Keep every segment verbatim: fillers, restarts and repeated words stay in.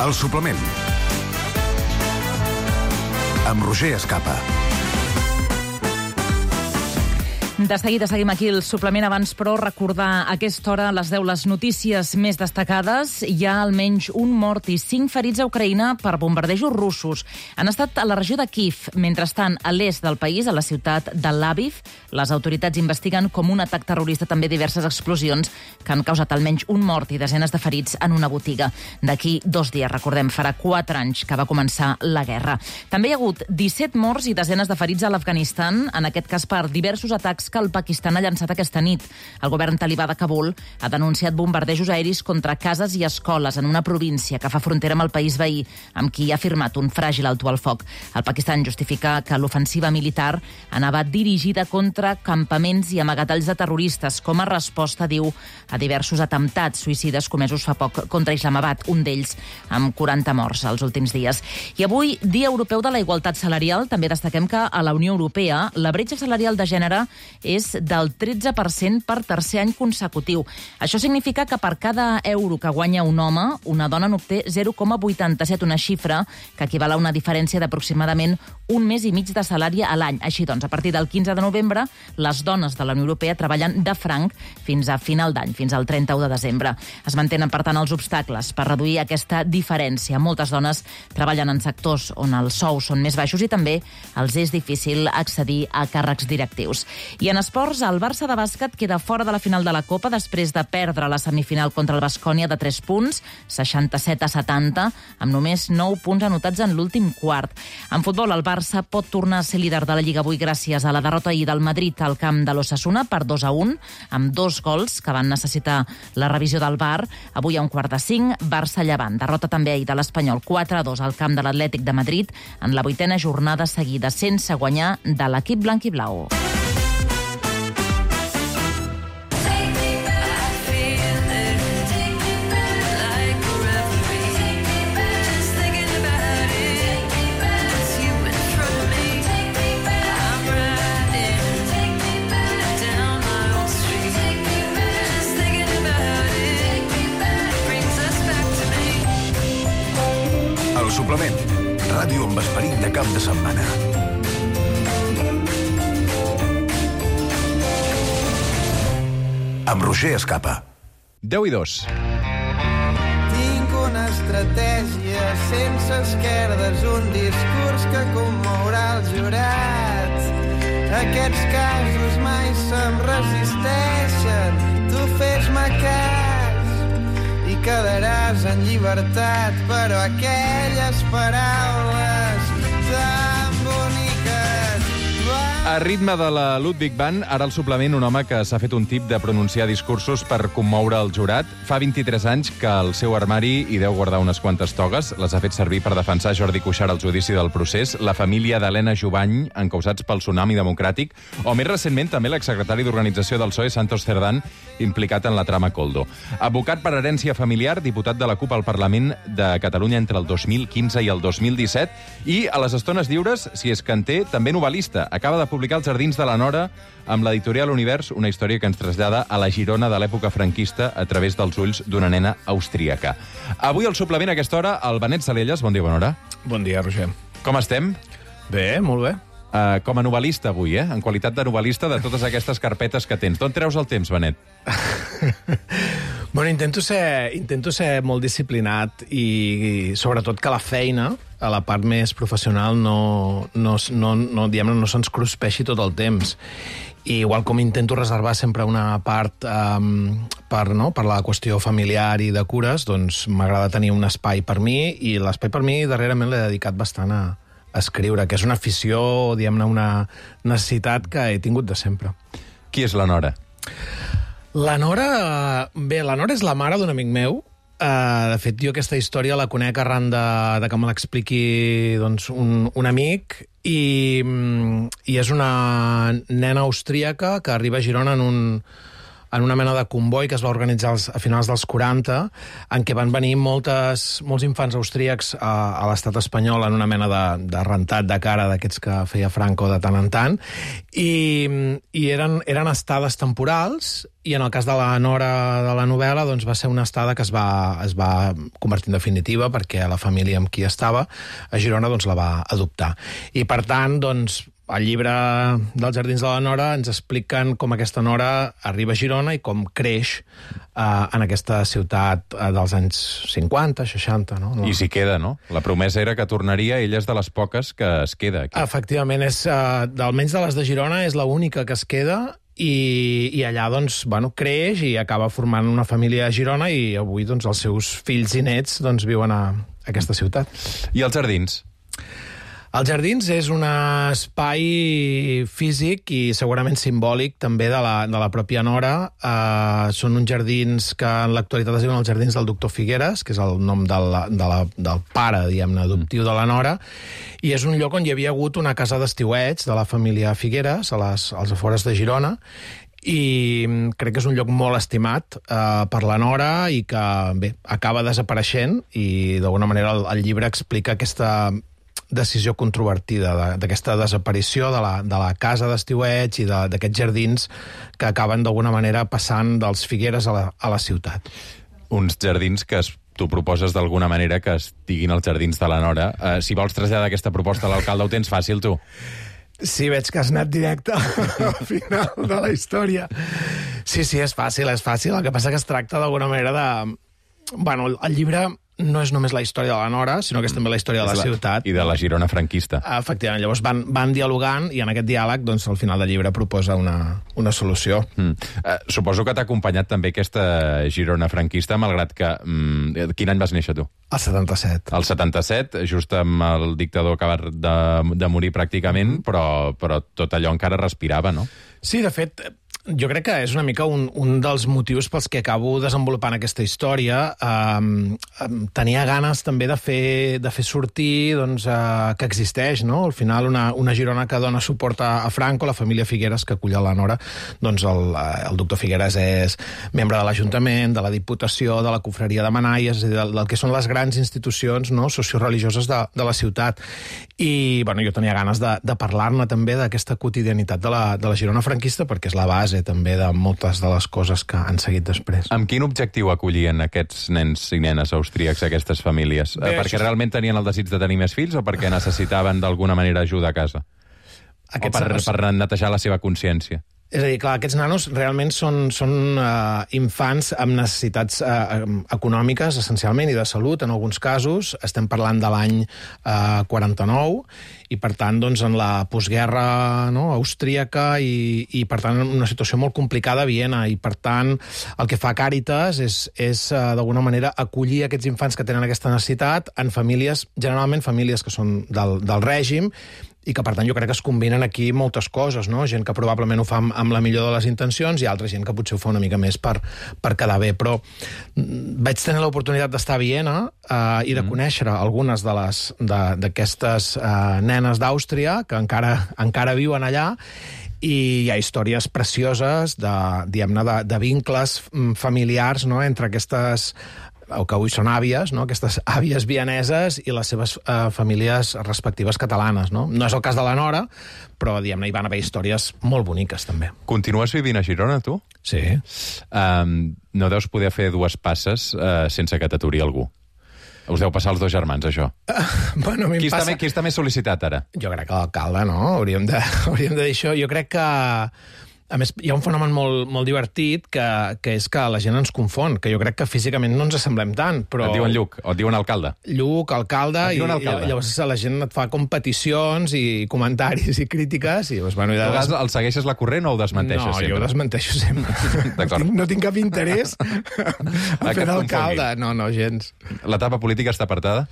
El suplement. Amb Roger Escapa. De seguida seguim aquí el suplement. Abans, però, recordar a aquesta hora les deu les notícies més destacades. Hi ha almenys un mort i cinc ferits a Ucraïna per bombardejos russos. Han estat a la regió de Kiev. Mentrestant, a l'est del país, a la ciutat de Lviv, les autoritats investiguen com un atac terrorista també diverses explosions que han causat almenys un mort i desenes de ferits en una botiga. D'aquí dos dies, recordem, farà quatre anys que va començar la guerra. També hi ha hagut disset morts i desenes de ferits a l'Afganistan, en aquest cas per diversos atacs que el Pakistan ha llançat aquesta nit. El govern talibà de Kabul ha denunciat bombardejos aeris contra cases i escoles en una província que fa frontera amb el país veí, amb qui ha firmat un fràgil alto al foc. El Pakistan justifica que l'ofensiva militar anava dirigida contra campaments i amagatalls de terroristes, com a resposta, diu, a diversos atemptats suïcides comesos fa poc contra Islamabad, un d'ells amb quaranta morts els últims dies. I avui, Dia Europeu de la Igualtat Salarial, també destaquem que a la Unió Europea la bretxa salarial de gènere és del tretze per cent per tercer any consecutiu. Això significa que per cada euro que guanya un home, una dona n'obté zero coma vuitanta-set, una xifra que equival a una diferència d'aproximadament un mes i mig de salari a l'any. Així doncs, a partir del quinze de novembre, les dones de la Unió Europea treballen de franc fins a final d'any, fins al trenta-u de desembre. Es mantenen, per tant, els obstacles per reduir aquesta diferència. Moltes dones treballen en sectors on els sous són més baixos i també els és difícil accedir a càrrecs directius. I en esports, el Barça de bàsquet queda fora de la final de la Copa després de perdre la semifinal contra el Baskonia de tres punts, seixanta-set a setanta, amb només nou punts anotats en l'últim quart. En futbol, el Barça pot tornar a ser líder de la Lliga avui gràcies a la derrota ahir del Madrid al camp de l'Osasuna per dos a un, amb dos gols que van necessitar la revisió del V A R. Avui a un quart de cinc, Barça-Llevant. Derrota també ahir de l'Espanyol quatre a dos al camp de l'Atlètic de Madrid en la vuitena jornada seguida sense guanyar de l'equip blanc i blau. El suplement. Ràdio amb esperit de cap de setmana. Amb Roger Escapa. deu i dos. Tinc una estratègia sense esquerdes, un discurs que commourà els jurats. Aquests casos mai se'm resisteixen, tu fes-me cas i quedaràs en llibertat, però aquelles paraules tan boniques van... A ritme de la Ludwig Band, ara al suplement un home que s'ha fet un tip de pronunciar discursos per commoure el jurat. Fa vint-i-tres anys que al seu armari hi deu guardar unes quantes togues. Les ha fet servir per defensar Jordi Cuixart al judici del procés, la família d'Helena Jubany, encausats pel tsunami democràtic, o més recentment també l'exsecretari d'Organització del P S O E, Santos Cerdán, implicat en la trama Koldo. Advocat per herència familiar, diputat de la CUP al Parlament de Catalunya entre el dos mil quinze i el dos mil disset, i a les estones lliures, si és que en té, també novel·lista. Acaba de publicar Els jardins de la Nora amb l'editorial Univers, una història que ens trasllada a la Girona de l'època franquista a través dels ulls d'una nena austríaca. Avui al suplement a aquesta hora, el Benet Salelles. Bon dia, bona hora. Bon dia, Roger. Com estem? Bé, molt bé. Uh, com a novel·lista avui, eh? En qualitat de novel·lista de totes aquestes carpetes que tens. D'on treus el temps, Benet? Bueno, intento ser, intento ser molt disciplinat i, i sobretot que la feina, a la part més professional, no, no, no, no, diguem-ne, no se'ns cruspeixi tot el temps. I igual com intento reservar sempre una part um, per, no, per la qüestió familiar i de cures, doncs m'agrada tenir un espai per mi, i l'espai per mi darrerament l'he dedicat bastant a, a escriure, que és una afició, diguem-ne, una necessitat que he tingut de sempre. Qui és la Nora? La Nora... Bé, la Nora és la mare d'un amic meu. Uh, de fet, jo aquesta història la conec arran de, de que me l'expliqui doncs, un, un amic, i, i és una nena austríaca que arriba a Girona en un, en una mena de comboi que es va organitzar als, a finals dels quaranta, en què van venir moltes, molts infants austríacs a, a l'estat espanyol en una mena de, de rentat de cara d'aquests que feia Franco de tant en tant, i, i eren, eren estades temporals, i en el cas de la nora de la novel·la doncs va ser una estada que es va, es va convertir en definitiva perquè la família amb qui estava a Girona doncs, la va adoptar. I per tant, doncs, al llibre dels Jardins de la Nora ens expliquen com aquesta nora arriba a Girona i com creix eh, en aquesta ciutat eh, dels anys cinquanta, seixanta. No? I s'hi queda, no? La promesa era que tornaria, ella és de les poques que es queda aquí. Efectivament, és, eh, almenys de les de Girona, és l'única que es queda. I, i allà doncs, bueno, creix i acaba formant una família a Girona i avui doncs, els seus fills i nets doncs, viuen a, a aquesta ciutat. I els jardins? Els jardins és un espai físic i segurament simbòlic també de la, de la pròpia Nora. Uh, són uns jardins que en l'actualitat es diuen els jardins del doctor Figueres, que és el nom de la, de la, del pare, diguem-ne, adoptiu de la Nora, i és un lloc on hi havia hagut una casa d'estiueig de la família Figueres, a les, als afores de Girona, i crec que és un lloc molt estimat eh, per la Nora i que, bé, acaba desapareixent i d'alguna manera el, el llibre explica aquesta decisió controvertida d'aquesta desaparició de la, de la casa d'estiueig i d'aquests jardins que acaben d'alguna manera passant dels Figueres a la, a la ciutat. Uns jardins que es tu proposes d'alguna manera que estiguin els jardins de la Nora. Uh, si vols traslladar aquesta proposta a l'alcalde, ho tens fàcil, tu. Sí, veig que has anat directe al final de la història. Sí, sí, és fàcil, és fàcil. El que passa que es tracta d'alguna manera de... Bueno, el llibre no és només la història de la Nora, sinó que és també la història de la, la ciutat. I de la Girona franquista. Efectivament, llavors van, van dialogant i en aquest diàleg, doncs, al final del llibre proposa una, una solució. Mm. Uh, suposo que t'ha acompanyat també aquesta Girona franquista, malgrat que... Mm, quin any vas néixer, tu? El setanta-set. El setanta-set, just amb el dictador acabat de, de morir pràcticament, mm-hmm. però, però tot allò encara respirava, no? Sí, de fet... Jo crec que és una mica un, un dels motius pels que acabo desenvolupant aquesta història. Um, um, tenia ganes també de fer, de fer sortir doncs, uh, que existeix, no? Al final, una, una Girona que dona suport a, a Franco, la família Figueres, que acull a la Nora. Doncs el, el doctor Figueres és membre de l'Ajuntament, de la Diputació, de la Confraria de Manaies, del, del que són les grans institucions, no?, socioreligioses de, de la ciutat. I bueno, jo tenia ganes de, de parlar-ne també d'aquesta quotidianitat de la, de la Girona franquista, perquè és la base també de moltes de les coses que han seguit després. Amb quin objectiu acollien aquests nens i nenes austríacs aquestes famílies? Bé, perquè això... realment tenien el desig de tenir més fills o perquè necessitaven d'alguna manera ajuda a casa? Aquests o per, nanos... per netejar la seva consciència? És a dir, clar, aquests nanos realment són, són uh, infants amb necessitats uh, econòmiques, essencialment, i de salut, en alguns casos. Estem parlant de l'any uh, quaranta-nou, i per tant, doncs, en la postguerra, no, austríaca, i, i per tant, una situació molt complicada a Viena, i per tant, el que fa Càritas és, és uh, d'alguna manera, acollir aquests infants que tenen aquesta necessitat en famílies, generalment famílies que són del, del règim, i que, per tant, jo crec que es combinen aquí moltes coses, no? Gent que probablement ho fa amb, amb la millor de les intencions i altra gent que potser ho fa una mica més per, per quedar bé. Però vaig tenir l'oportunitat d'estar a Viena eh, i de conèixer algunes de les d'aquestes eh, nenes d'Àustria que encara, encara viuen allà, i hi ha històries precioses de, diguem-ne, de, de vincles familiars, no?, entre aquestes o que avui són àvies, no?, aquestes àvies vieneses i les seves eh, famílies respectives catalanes, no? No és el cas de la Nora, però, diguem-ne, hi van haver històries molt boniques, també. Continues vivint a Girona, tu? Sí. Um, no deus poder fer dues passes uh, sense que t'aturi algú. Us deu passar els dos germans, això. Uh, bueno, a mi qui, em està passa... més, qui està més sol·licitat, ara? Jo crec que l'alcalde, no? Hauríem de, hauríem de dir això. Jo crec que... A més, hi ha un fenomen molt, molt divertit que, que és que la gent ens confon, que jo crec que físicament no ens assemblem tant, però... Et diuen Lluc, o et diuen alcalde. Lluc, alcalde, i, alcalde. I llavors la gent et fa com peticions i comentaris i crítiques, i llavors, bueno... I de... des... El segueixes la corrent o ho desmenteixes no, sempre? No, jo ho desmenteixo sempre. no, tinc, no tinc cap interès a fer d'alcalde. No, no, gens. L'etapa política està apartada?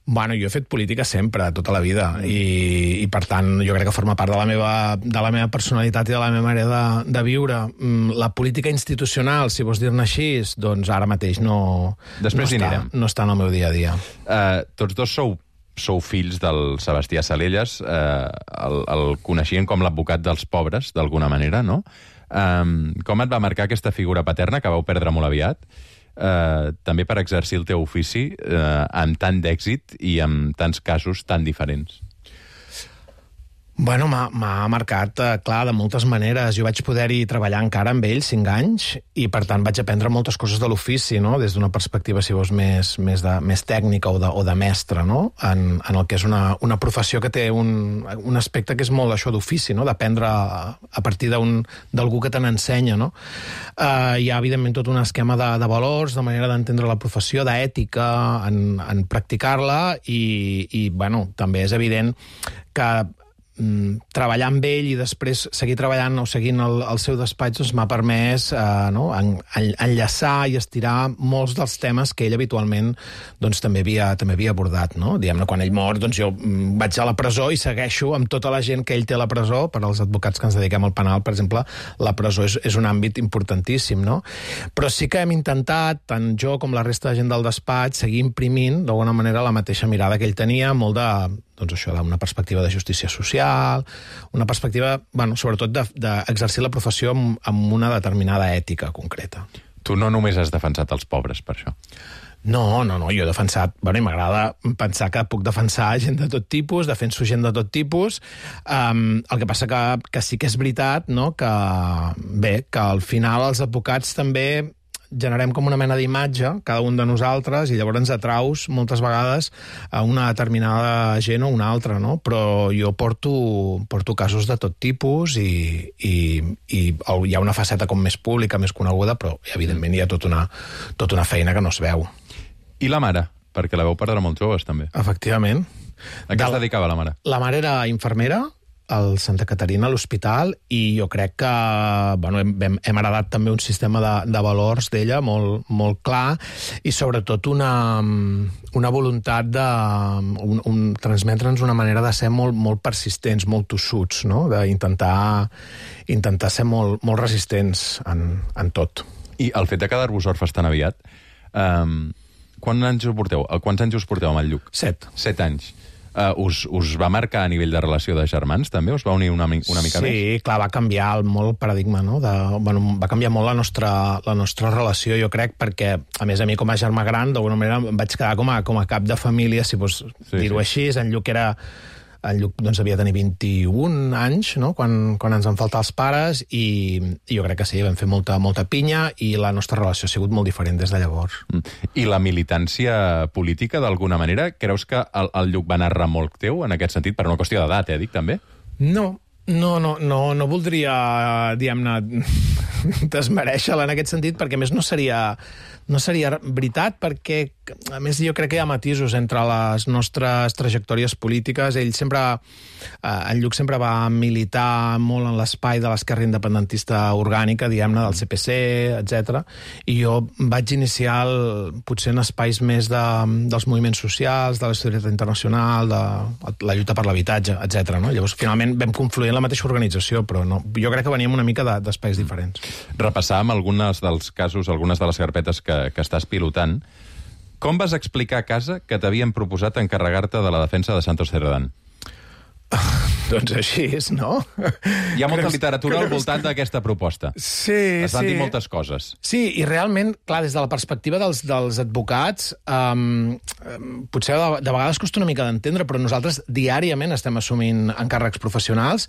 Bueno, jo he fet política sempre, tota la vida, i, i per tant jo crec que forma part de la meva, de la meva personalitat i de la meva manera de, de viure. La política institucional, si vols dir-ne així, doncs ara mateix no, Després no, està, no està en el meu dia a dia. Uh, tots dos sou, sou fills del Sebastià Salelles, uh, el, el coneixien com l'advocat dels pobres, d'alguna manera, no? Um, com et va marcar aquesta figura paterna que vau perdre molt aviat? Uh, també per exercir el teu ofici uh, amb tant d'èxit i amb tants casos tan diferents. Bueno, m'ha marcat, eh, clar, de moltes maneres. Jo vaig poder-hi treballar encara amb ell cinc anys i, per tant, vaig aprendre moltes coses de l'ofici, no? Des d'una perspectiva, si vols, més, més, de, més tècnica o de, o de mestre, no? En, en el que és una, una professió que té un, un aspecte que és molt això d'ofici, no? D'aprendre a, a partir d'algú que te n'ensenya, no? Uh, hi ha, evidentment, tot un esquema de, de valors, de manera d'entendre la professió, d'ètica, en, en practicar-la i, i, bueno, també és evident que treballar amb ell i després seguir treballant o seguint el, el seu despatx doncs m'ha permès eh, no, en, en, enllaçar i estirar molts dels temes que ell habitualment doncs, també, havia, també havia abordat. No? Diguem-ne, quan ell mor, doncs jo vaig a la presó i segueixo amb tota la gent que ell té a la presó. Per als advocats que ens dediquem al penal, per exemple, la presó és, és un àmbit importantíssim. No? Però sí que hem intentat, tant jo com la resta de gent del despatx, seguir imprimint d'alguna manera la mateixa mirada que ell tenia, molt de doncs això, d'una perspectiva de justícia social, una perspectiva, bueno, sobretot d'exercir de, la professió amb, amb una determinada ètica concreta. Tu no només has defensat els pobres, per això. No, no, no, jo he defensat... Bueno, i m'agrada pensar que puc defensar gent de tot tipus, defenso gent de tot tipus. Um, el que passa que, que sí que és veritat, no?, que, bé, que al final els advocats també generem com una mena d'imatge, cada un de nosaltres, i llavors ens atraus moltes vegades a una determinada gent o una altra, no? Però jo porto, porto casos de tot tipus i, i, i hi ha una faceta com més pública, més coneguda, però evidentment hi ha tota una, tota una feina que no es veu. I la mare? Perquè la veu perdre molt joves, també. Efectivament. A què es dedicava la mare? La mare era infermera al Santa Caterina, a l'hospital, i jo crec que bueno, hem, hem heredat també un sistema de, de valors d'ella molt, molt clar i sobretot una, una voluntat de un, un, transmetre'ns una manera de ser molt, molt persistents, molt tossuts, no? D'intentar intentar ser molt, molt resistents en, en tot. I el fet de quedar-vos orfes tan aviat, um, quants anys us porteu? Quants anys us porteu amb el Lluc? Set. Set anys. Uh, us, us va marcar a nivell de relació de germans, també? Us va unir una, una mica sí, més? Sí, clar, va canviar molt el paradigma, no? De, bueno, va canviar molt la nostra, la nostra relació, jo crec, perquè, a més, a mi com a germà gran, d'alguna manera em vaig quedar com a, com a cap de família, si vols sí, dir-ho sí. Així. En Lluc era... En Lluc doncs, havia de tenir vint-i-un anys, no?, quan, quan ens van faltar els pares, i, i jo crec que sí, vam fer molta, molta pinya, i la nostra relació ha sigut molt diferent des de llavors. I la militància política, d'alguna manera, creus que el, el Lluc va anar remolc teu, en aquest sentit, per una qüestió d'edat, eh, dic, també? No, no, no, no, no voldria, diguem-ne, desmereixer-la en aquest sentit, perquè a més no seria... No seria veritat, perquè, a més, jo crec que hi ha matisos entre les nostres trajectòries polítiques. Ell sempre, eh, en Lluc sempre va militar molt en l'espai de l'esquerra independentista orgànica, diguem-ne, del C P C, etcètera. I jo vaig iniciar el, potser en espais més de, dels moviments socials, de la solidaritat internacional, de la lluita per l'habitatge, etcètera. No? Llavors, finalment, vam confluir en la mateixa organització, però no, jo crec que veníem una mica d'espais diferents. Repassàvem algunes dels casos, algunes de les carpetes que que estàs pilotant. Com vas explicar a casa que t'havien proposat encarregar-te de la defensa de Santos Cerdán? Doncs així és, no? Hi ha molta literatura al voltant d'aquesta proposta. Sí, es van sí. dir moltes coses. Sí, i realment, clar, des de la perspectiva dels, dels advocats, um, potser de, de vegades costa una mica d'entendre, però nosaltres diàriament estem assumint encàrrecs professionals.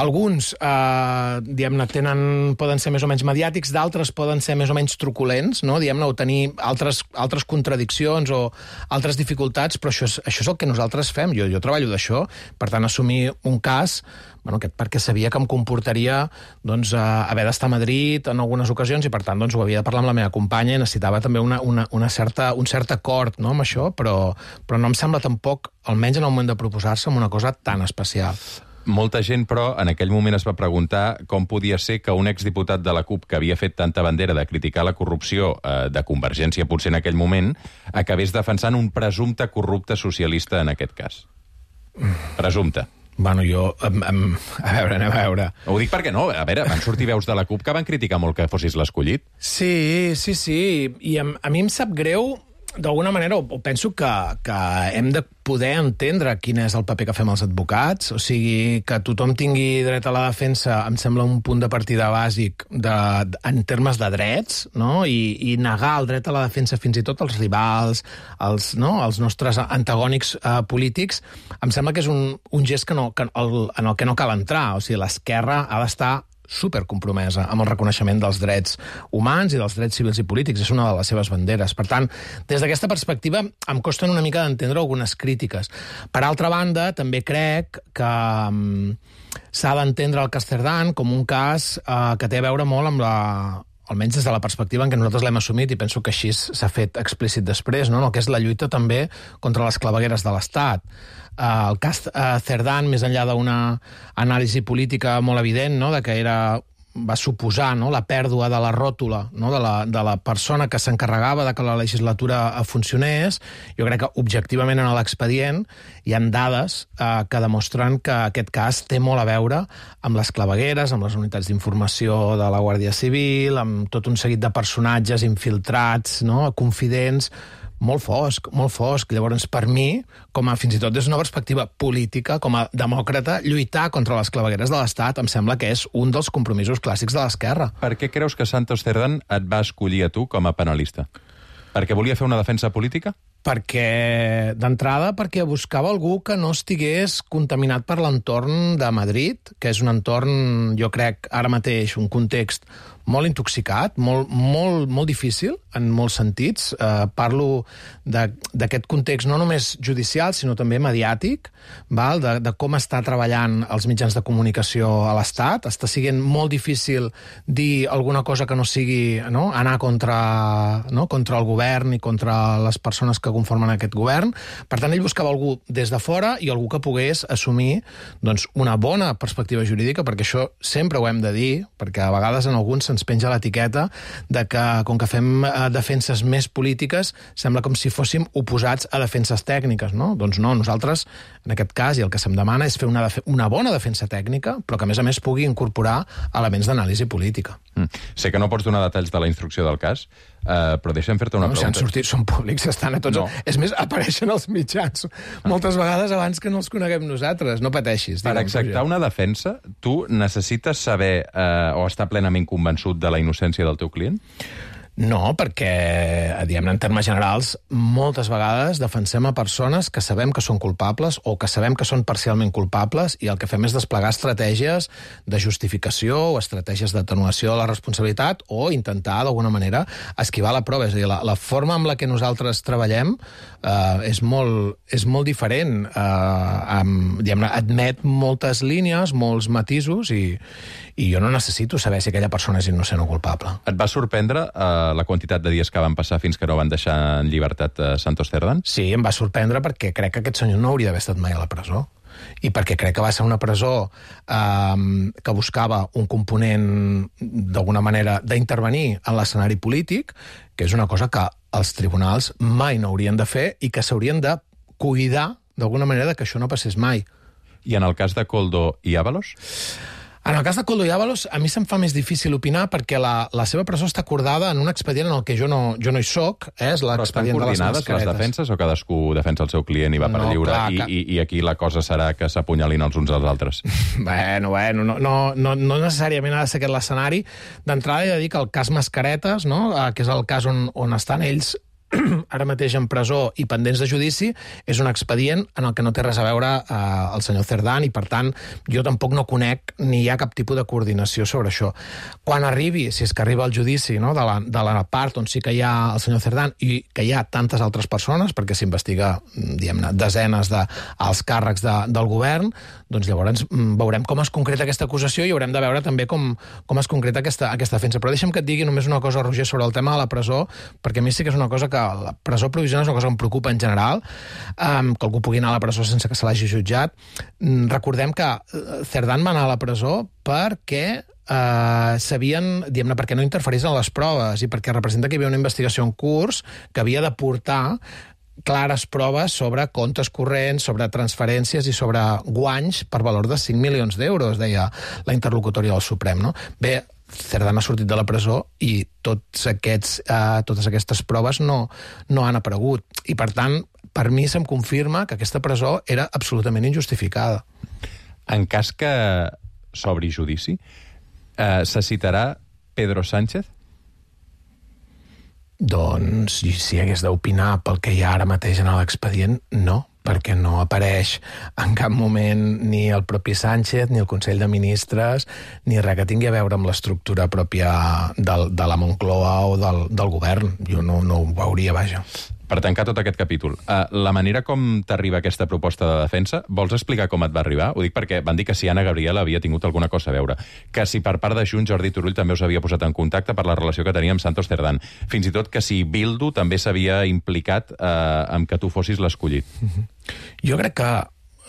Alguns, uh, diguem-ne, tenen, poden ser més o menys mediàtics, d'altres poden ser més o menys truculents, no? Diguem-ne, o tenir altres, altres contradiccions o altres dificultats, però això és, això és el que nosaltres fem. Jo, jo treballo d'això, per tant, assumir un cas, bueno, perquè sabia que em comportaria doncs, haver d'estar a Madrid en algunes ocasions i, per tant, doncs, ho havia de parlar amb la meva companya i necessitava també una, una, una certa, un cert acord, no?, amb això, però, però no em sembla tampoc, almenys en el moment de proposar-se, una cosa tan especial. Molta gent, però, en aquell moment es va preguntar com podia ser que un exdiputat de la CUP que havia fet tanta bandera de criticar la corrupció eh, de Convergència, potser en aquell moment, acabés defensant un presumpte corrupte socialista en aquest cas. Presumpte. Bueno, jo... Um, um, a veure, anem a veure. Ho dic perquè no, a veure, van sortir veus de la CUP que van criticar molt que fossis l'escollit. Sí, sí, sí. I a, a mi em sap greu d'alguna manera, penso que, que hem de poder entendre quin és el paper que fem els advocats, o sigui, que tothom tingui dret a la defensa em sembla un punt de partida bàsic de, en termes de drets, no? I, i negar el dret a la defensa fins i tot als rivals, als, no? als nostres antagònics eh, polítics, em sembla que és un, un gest que no, que el, en el que no cal entrar, o sigui, l'esquerra ha d'estar supercompromesa amb el reconeixement dels drets humans i dels drets civils i polítics. És una de les seves banderes. Per tant, des d'aquesta perspectiva, em costen una mica d'entendre algunes crítiques. Per altra banda, també crec que um, s'ha d'entendre el cas Cerdán com un cas uh, que té a veure molt amb la... almenys des de la perspectiva en què nosaltres l'hem assumit, i penso que així s'ha fet explícit després, no? El que és la lluita també contra les clavegueres de l'Estat. Uh, el cas uh, Cerdán, més enllà d'una anàlisi política molt evident, no? De que era, va suposar, no? La pèrdua de la ròtula, no? de, la, de la persona que s'encarregava de que la legislatura funcionés, jo crec que objectivament en l'expedient hi ha dades uh, que demostren que aquest cas té molt a veure amb les clavegueres, amb les unitats d'informació de la Guàrdia Civil, amb tot un seguit de personatges infiltrats, no? Confidents, molt fosc, molt fosc. Llavors, per mi, com a, fins i tot des d'una perspectiva política, com a demòcrata, lluitar contra les clavegueres de l'Estat em sembla que és un dels compromisos clàssics de l'esquerra. Per què creus que Santos Cerdán et va escollir a tu com a penalista? Perquè volia fer una defensa política? Perquè, d'entrada, perquè buscava algú que no estigués contaminat per l'entorn de Madrid, que és un entorn, jo crec, ara mateix, un context molt intoxicat, molt, molt, molt difícil, en molts sentits. Eh, parlo d'aquest context no només judicial, sinó també mediàtic, val? De, de com està treballant els mitjans de comunicació a l'Estat. Està sent molt difícil dir alguna cosa que no sigui, no? Anar contra, no? contra el govern i contra les persones que conformen aquest govern. Per tant, ell buscava algú des de fora i algú que pogués assumir doncs, una bona perspectiva jurídica, perquè això sempre ho hem de dir, perquè a vegades en alguns se'ns penja l'etiqueta de que, com que fem defenses més polítiques, sembla com si fóssim oposats a defenses tècniques, no? Doncs no, nosaltres, en aquest cas, i el que se'm demana és fer una, una bona defensa tècnica, però que, a més a més, pugui incorporar elements d'anàlisi política. Mm. Sé que no pots donar detalls de la instrucció del cas, uh, però deixa'm fer-te una no, pregunta. Si han sortit, són públics, estan a tots... No. És més, apareixen als mitjans moltes vegades abans que no els coneguem nosaltres. No pateixis. Per acceptar una defensa, tu necessites saber uh, o estar plenament convençut de la innocència del teu client? No, perquè, diguem-ne, en termes generals, moltes vegades defensem a persones que sabem que són culpables o que sabem que són parcialment culpables i el que fem és desplegar estratègies de justificació o estratègies d'atenuació de la responsabilitat o intentar, d'alguna manera, esquivar la prova. És a dir, la, la forma amb la que nosaltres treballem eh, és, molt, és molt diferent. Eh, amb, diguem-ne, admet moltes línies, molts matisos i, i jo no necessito saber si aquella persona és innocent o culpable. Et va sorprendre eh, la quantitat de dies que van passar fins que no van deixar en llibertat a Santos Cerdán? Sí, em va sorprendre perquè crec que aquest senyor no hauria d'haver estat mai a la presó. I perquè crec que va ser una presó eh, que buscava un component, d'alguna manera, d'intervenir en l'escenari polític, que és una cosa que els tribunals mai no haurien de fer i que s'haurien de cuidar, d'alguna manera, que això no passés mai. I en el cas de Koldo i Ábalos? En el cas de Koldo i Ábalos, a mi se'm fa més difícil opinar perquè la, la seva presó està acordada en un expedient en el que jo no, jo no hi soc, eh? És l'expedient de les mascaretes. Però estan coordinades les defenses o cadascú defensa el seu client i va per no, lliure clar, i, que... i, i aquí la cosa serà que s'apunyalin els uns als altres? Bueno, bueno, no, no, no, no necessàriament ha de ser aquest l'escenari. D'entrada he de dir que el cas Mascaretes, no? que és el cas on, on estan ells ara mateix en presó i pendents de judici, és un expedient en el que no té res a veure eh, el senyor Cerdán i, per tant, jo tampoc no conec ni hi ha cap tipus de coordinació sobre això. Quan arribi, si és que arriba el judici, no, de, la, de la part on sí que hi ha el senyor Cerdán i que hi ha tantes altres persones, perquè s'investiga, diguem-ne, desenes d'alts càrrecs de, del govern, doncs llavors veurem com es concreta aquesta acusació i haurem de veure també com, com es concreta aquesta, aquesta defensa. Però deixa'm que et digui només una cosa, Roger, sobre el tema de la presó, perquè a mi sí que és una cosa que la presó provisional és una cosa que em preocupa en general, um, que algú pugui anar a la presó sense que se l'hagi jutjat. Mm, recordem que Cerdán va anar a la presó perquè Uh, sabien, diguem-ne, perquè no interferís en les proves i perquè representa que hi havia una investigació en curs que havia de portar clares proves sobre comptes corrents, sobre transferències i sobre guanys per valor de cinc milions d'euros, deia la interlocutòria del Suprem, no? Bé, Cerdán ha sortit de la presó i tots aquests, uh, totes aquestes proves no, no han aparegut. I, per tant, per mi se'm confirma que aquesta presó era absolutament injustificada. En cas que s'obri judici, eh, se citarà Pedro Sánchez? Doncs, si hagués d'opinar pel que hi ha ara mateix en l'expedient, no, perquè no apareix en cap moment ni el propi Sánchez, ni el Consell de Ministres, ni res que tingui a veure amb l'estructura pròpia del, de la Moncloa o del, del govern. Jo no, no ho veuria, vaja. Per tancar tot aquest capítol, uh, la manera com t'arriba aquesta proposta de defensa, vols explicar com et va arribar? Ho dic perquè van dir que si Anna Gabriel havia tingut alguna cosa a veure, que si per part de Junts Jordi Turull també us havia posat en contacte per la relació que tenia amb Santos Cerdán, fins i tot que si Bildu també s'havia implicat uh, amb que tu fossis l'escollit. Mm-hmm. Jo crec que...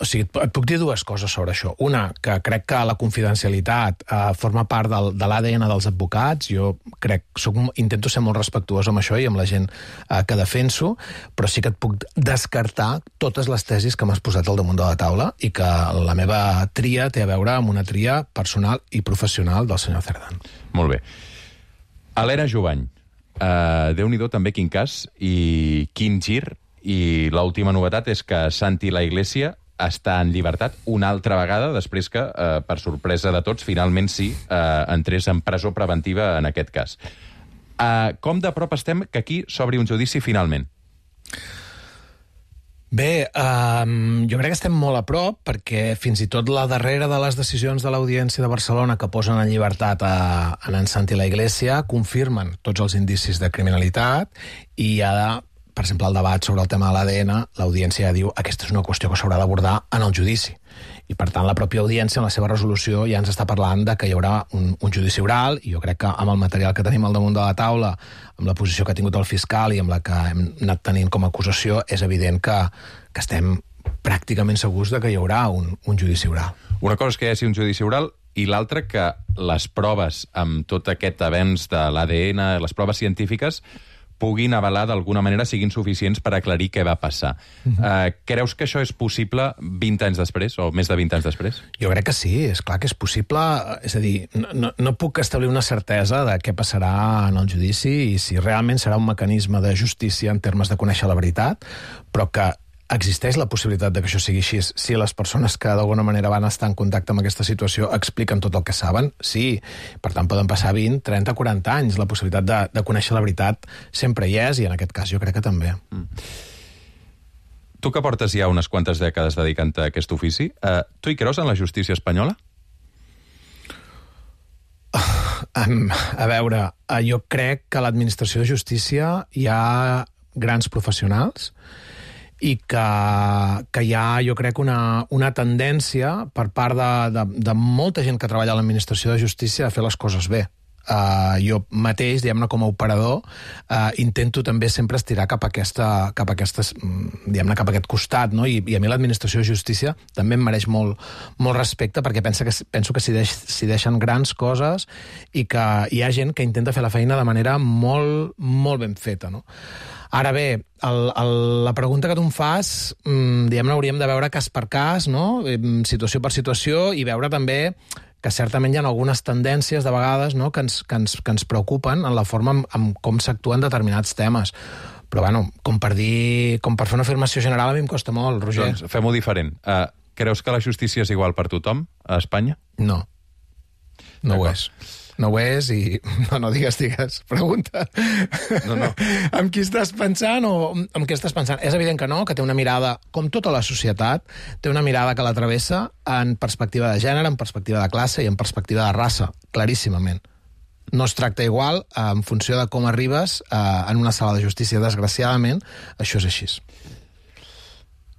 O sigui, et puc dir dues coses sobre això. Una, que crec que la confidencialitat eh, forma part del, de l'A D N dels advocats. Jo crec, soc, intento ser molt respectuós amb això i amb la gent eh, que defenso, però sí que et puc descartar totes les tesis que m'has posat al damunt de la taula i que la meva tria té a veure amb una tria personal i professional del senyor Cerdán. Molt bé. Helena Jubany, eh, Déu-n'hi-do també quin cas i quin gir, i l'última novetat és que Santi La Iglesia està en llibertat una altra vegada, després que, eh, per sorpresa de tots, finalment sí, eh, entrés en presó preventiva en aquest cas. Eh, com de prop estem que aquí s'obri un judici finalment? Bé, um, jo crec que estem molt a prop, perquè fins i tot la darrera de les decisions de l'Audiència de Barcelona que posen en llibertat a, a en Santi La Iglesia confirmen tots els indicis de criminalitat i hi ha, per exemple, el debat sobre el tema de l'A D N, l'Audiència ja diu que aquesta és una qüestió que s'haurà d'abordar en el judici. I, per tant, la pròpia Audiència, en la seva resolució, ja ens està parlant de que hi haurà un, un judici oral, i jo crec que amb el material que tenim al damunt de la taula, amb la posició que ha tingut el fiscal i amb la que hem anat tenint com a acusació, és evident que, que estem pràcticament segurs de que hi haurà un, un judici oral. Una cosa és que hi hagi un judici oral i l'altra que les proves amb tot aquest avenç de l'A D N, les proves científiques, puguin avalar d'alguna manera, siguin suficients per aclarir què va passar. Uh-huh. uh, creus que això és possible vint anys després, o més de vint anys després? Jo crec que sí, és clar que és possible. És a dir, no, no, no puc establir una certesa de què passarà en el judici i si realment serà un mecanisme de justícia en termes de conèixer la veritat, però que existeix la possibilitat de que això sigui així si les persones que d'alguna manera van estar en contacte amb aquesta situació expliquen tot el que saben? Sí. Per tant, poden passar vint, trenta, quaranta anys. La possibilitat de, de conèixer la veritat sempre hi és, i en aquest cas jo crec que també. Mm. Tu que portes ja unes quantes dècades dedicant-te a aquest ofici, eh, tu hi creus en la justícia espanyola? Um, a veure, jo crec que a l'administració de justícia hi ha grans professionals i que, que hi ha, jo crec, una, una tendència per part de, de, de molta gent que treballa a l'administració de justícia a fer les coses bé. Uh, jo mateix, diguem-ne, com a operador, uh, intento també sempre estirar cap a aquesta, cap a aquestes, diguem-ne, cap a aquest costat, no? I, i a mi l'administració de justícia també em mereix molt, molt respecte, perquè penso que, penso que s'hi deix, s'hi deixen grans coses i que hi ha gent que intenta fer la feina de manera molt, molt ben feta, no? Ara bé, el, el, la pregunta que tu em fas, mmm, diguem-ne, hauríem de veure cas per cas, no? Situació per situació, i veure també que certament hi ha algunes tendències de vegades, no? que, ens, que, ens, que ens preocupen en la forma amb, amb com s'actuen determinats temes. Però, bueno, com per dir, com per fer una afirmació general a mi em costa molt, Roger. Doncs fem-ho diferent. Uh, creus que la justícia és igual per tothom a Espanya? No. No ho és. No ho és i... No, no, digues, digues. Pregunta. No, no. Amb qui estàs pensant o amb què estàs pensant? És evident que no, que té una mirada, com tota la societat, té una mirada que la travessa en perspectiva de gènere, en perspectiva de classe i en perspectiva de raça, claríssimament. No es tracta igual en funció de com arribes eh, en una sala de justícia. Desgraciadament, això és així.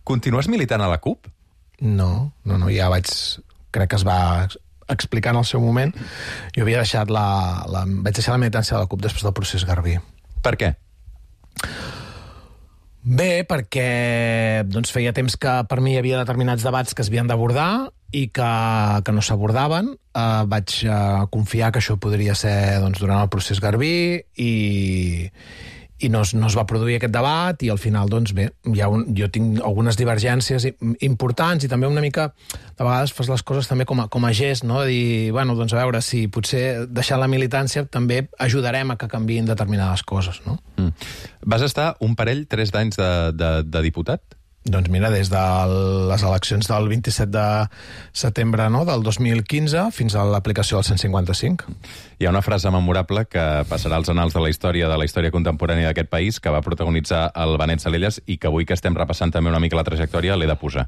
Continues militant a la CUP? No, no, no, ja vaig... Crec que es va explicar en el seu moment. Jo havia deixat la, la... Vaig deixar la militància de la CUP després del procés Garbí. Per què? Bé, perquè doncs, feia temps que per mi hi havia determinats debats que es havien d'abordar i que, que no s'abordaven. Uh, vaig uh, confiar que això podria ser doncs, durant el procés Garbí i, i no es, no es va produir aquest debat, i al final, doncs bé, hi ha un, jo tinc algunes divergències importants, i també una mica, de vegades fas les coses també com a, com a gest, no? De dir, bueno, doncs a veure, si potser deixant la militància també ajudarem a que canviïn determinades coses, no? Mm. Vas estar un parell, tres d'anys de, de, de diputat? Doncs mira, des de les eleccions del vint-i-set de setembre, no?, del dos mil quinze fins a l'aplicació del cent cinquanta-cinc. Hi ha una frase memorable que passarà als anals de la història de la història contemporània d'aquest país, que va protagonitzar el Benet Salellas i que avui que estem repassant també una mica la trajectòria l'he de posar.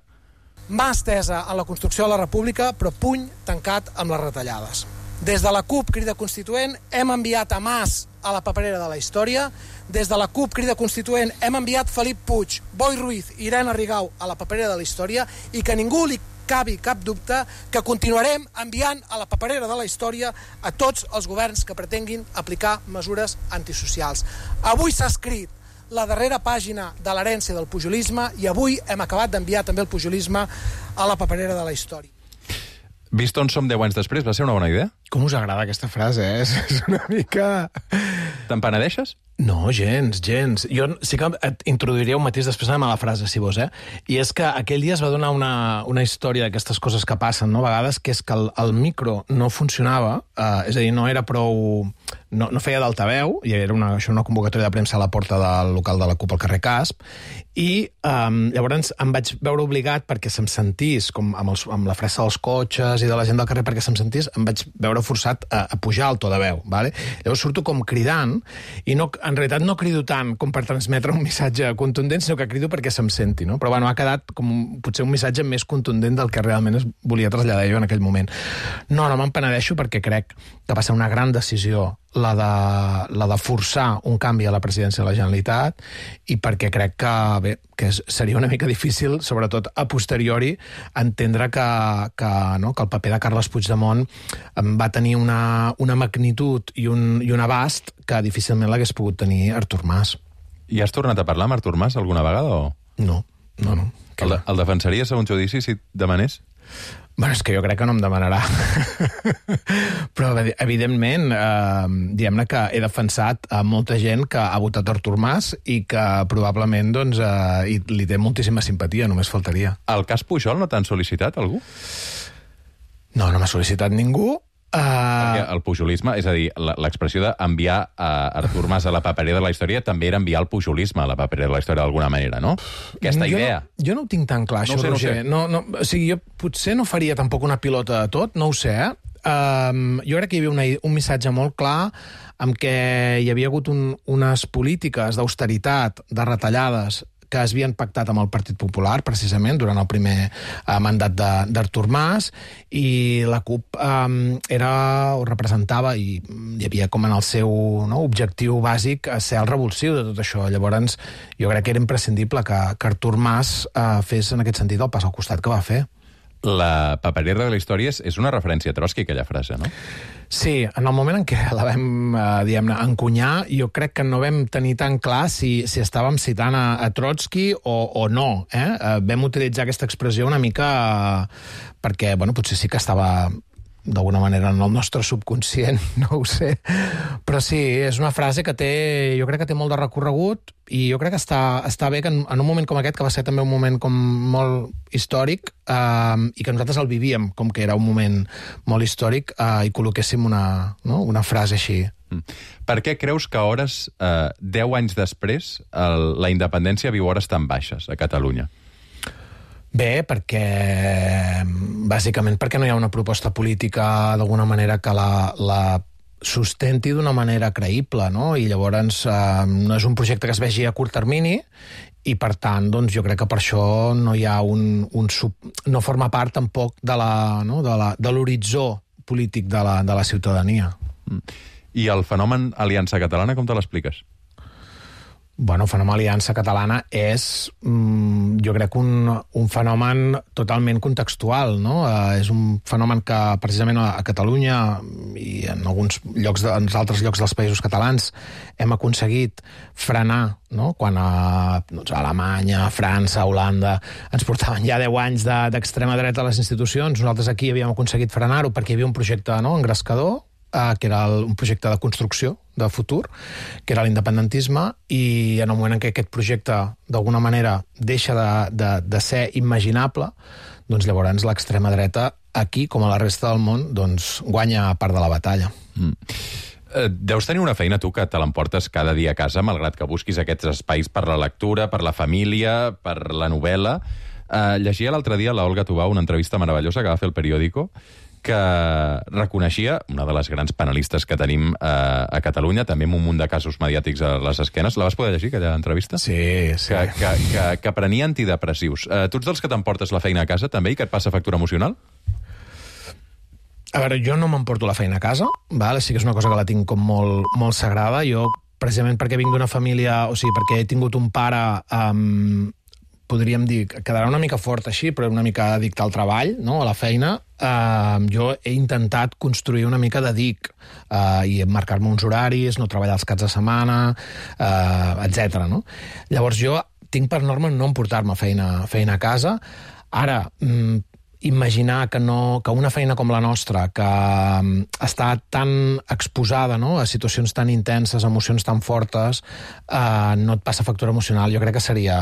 Mà estesa en la construcció de la república, però puny tancat amb les retallades. Des de la CUP Crida Constituent hem enviat a Mas a la paperera de la història. Des de la CUP Crida Constituent hem enviat Felip Puig, Boi Ruiz i Irene Rigau a la paperera de la història, i que ningú li cabi cap dubte que continuarem enviant a la paperera de la història a tots els governs que pretenguin aplicar mesures antisocials. Avui s'ha escrit la darrera pàgina de l'herència del pujolisme, i avui hem acabat d'enviar també el pujolisme a la paperera de la història. Vist on som deu anys després, va ser una bona idea? Com us agrada aquesta frase, eh? És una mica... Te'n penedeixes? No, gens, gens. Jo sí que et introduiria un matís, després anem a la frase, si vols, eh? I és que aquell dia es va donar una, una història d'aquestes coses que passen, no?, a vegades, que és que el, el micro no funcionava, eh, és a dir, no era prou... No, no feia d'altaveu, i era una, això una convocatòria de premsa a la porta del local de la CUP al carrer Casp, i um, llavors em vaig veure obligat, perquè se'm sentís, com amb, els, amb la fressa dels cotxes i de la gent del carrer, perquè se'm sentís, em vaig veure forçat a, a pujar el to de veu, vale? Llavors surto com cridant, i no, en realitat no crido tant com per transmetre un missatge contundent, sinó que crido perquè se'm senti, no? Però bueno, ha quedat com potser un missatge més contundent del que realment es volia traslladar jo en aquell moment. No, no me'n penedeixo, perquè crec que va ser una gran decisió la de, la de forçar un canvi a la presidència de la Generalitat, i perquè crec que, bé, que seria una mica difícil, sobretot a posteriori, entendre que, que, no, que el paper de Carles Puigdemont va tenir una, una magnitud i un, i un abast que difícilment l'hagués pogut tenir Artur Mas. I has tornat a parlar amb Artur Mas alguna vegada? O... No, no, no. El, el defensaries a un judici si et demanés? Bueno, és que jo crec que no em demanarà. Però, evidentment, eh, diguem-ne que he defensat a molta gent que ha votat Artur Mas i que probablement doncs, eh, li té moltíssima simpatia, només faltaria. El cas Pujol no t'han sol·licitat, algú? No, no m'ha sol·licitat ningú. Uh... Perquè el pujolisme, és a dir, l'expressió d'enviar a Artur Mas a la paperera de la història també era enviar el pujolisme a la paperera de la història d'alguna manera, no? Aquesta jo idea. No, jo no ho tinc tan clar, no això, sé, Roger. No, no, no, o sigui, jo potser no faria tampoc una pilota de tot, no ho sé, eh? Um, jo crec que hi havia una, un missatge molt clar amb què hi havia hagut un, unes polítiques d'austeritat, de retallades, que es havien pactat amb el Partit Popular, precisament, durant el primer eh, mandat d'Artur Mas, i la CUP eh, era, o representava, i hi havia com en el seu no, objectiu bàsic ser el revulsiu de tot això. Llavors, jo crec que era imprescindible que, que Artur Mas eh, fes en aquest sentit el pas al costat que va fer. La paperera de la història és, és una referència a Trotsky, aquella frase, no? Sí, en el moment en què la vam, eh, diguem-ne, encunyar, jo crec que no vam tenir tan clar si, si estàvem citant a, a Trotsky o, o no. Eh? Eh, vam utilitzar aquesta expressió una mica eh, perquè, bueno, potser sí que estava d'alguna manera en el nostre subconscient, no ho sé. Però sí, és una frase que té, jo crec que té molt de recorregut, i jo crec que està, està bé que en, en un moment com aquest, que va ser també un moment com molt històric, eh, i que nosaltres el vivíem com que era un moment molt històric, eh, i col·loquéssim una, no? una frase així. Mm. Per què creus que a hores, eh, deu anys després, el, la independència viu hores tan baixes a Catalunya? Bé, perquè bàsicament perquè no hi ha una proposta política d'alguna manera que la, la sustenti d'una manera creïble, no? I llavors eh, no és un projecte que es vegi a curt termini, i per tant, doncs, jo crec que per això no hi ha un, un sub... no forma part tampoc de la, no? de la, de l'horitzó polític de la, de la ciutadania. I el fenomen Aliança Catalana, com te l'expliques? Bueno, el fenomen Aliança Catalana és, mm, jo crec, un, un fenomen totalment contextual, no? Eh, és un fenomen que, precisament, a, a Catalunya i en alguns llocs, de, en altres llocs dels països catalans, hem aconseguit frenar, no? Quan a, doncs, a Alemanya, a França, a Holanda, ens portaven ja deu anys de, d'extrema dreta a les institucions, nosaltres aquí havíem aconseguit frenar-ho perquè hi havia un projecte, no?, engrescador. eh, que era el, un projecte de construcció de futur, que era l'independentisme, i en el moment en què aquest projecte d'alguna manera deixa de, de, de ser imaginable, doncs llavors l'extrema dreta aquí, com a la resta del món, doncs guanya part de la batalla. Mm. Deus tenir una feina, tu, que te l'emportes cada dia a casa, malgrat que busquis aquests espais per la lectura, per la família, per la novel·la. Uh, llegia l'altre dia la Olga Tubau una entrevista meravellosa que va fer el Periódico, que reconeixia, una de les grans panelistes que tenim uh, a Catalunya, també amb un munt de casos mediàtics a les esquenes. La vas poder llegir, aquella entrevista? Sí, sí. Que, que, que, que prenia antidepressius. Uh, tu ets dels que t'emportes la feina a casa, també, i que et passa factura emocional? A veure, jo no m'emporto la feina a casa, val? Sí que és una cosa que la tinc com molt, molt sagrada. Jo, precisament perquè vinc d'una família, o sigui, perquè he tingut un pare, um, podríem dir, quedarà una mica fort així, però una mica addicte al treball, no? A la feina, uh, jo he intentat construir una mica de dic uh, i marcar-me uns horaris, no treballar els caps de setmana, uh, etcètera. No? Llavors jo tinc per norma no emportar-me feina, feina a casa. Ara, mm, imaginar que, no, que una feina com la nostra, que està tan exposada, no?, a situacions tan intenses, emocions tan fortes, eh, no et passa factura emocional, jo crec que seria,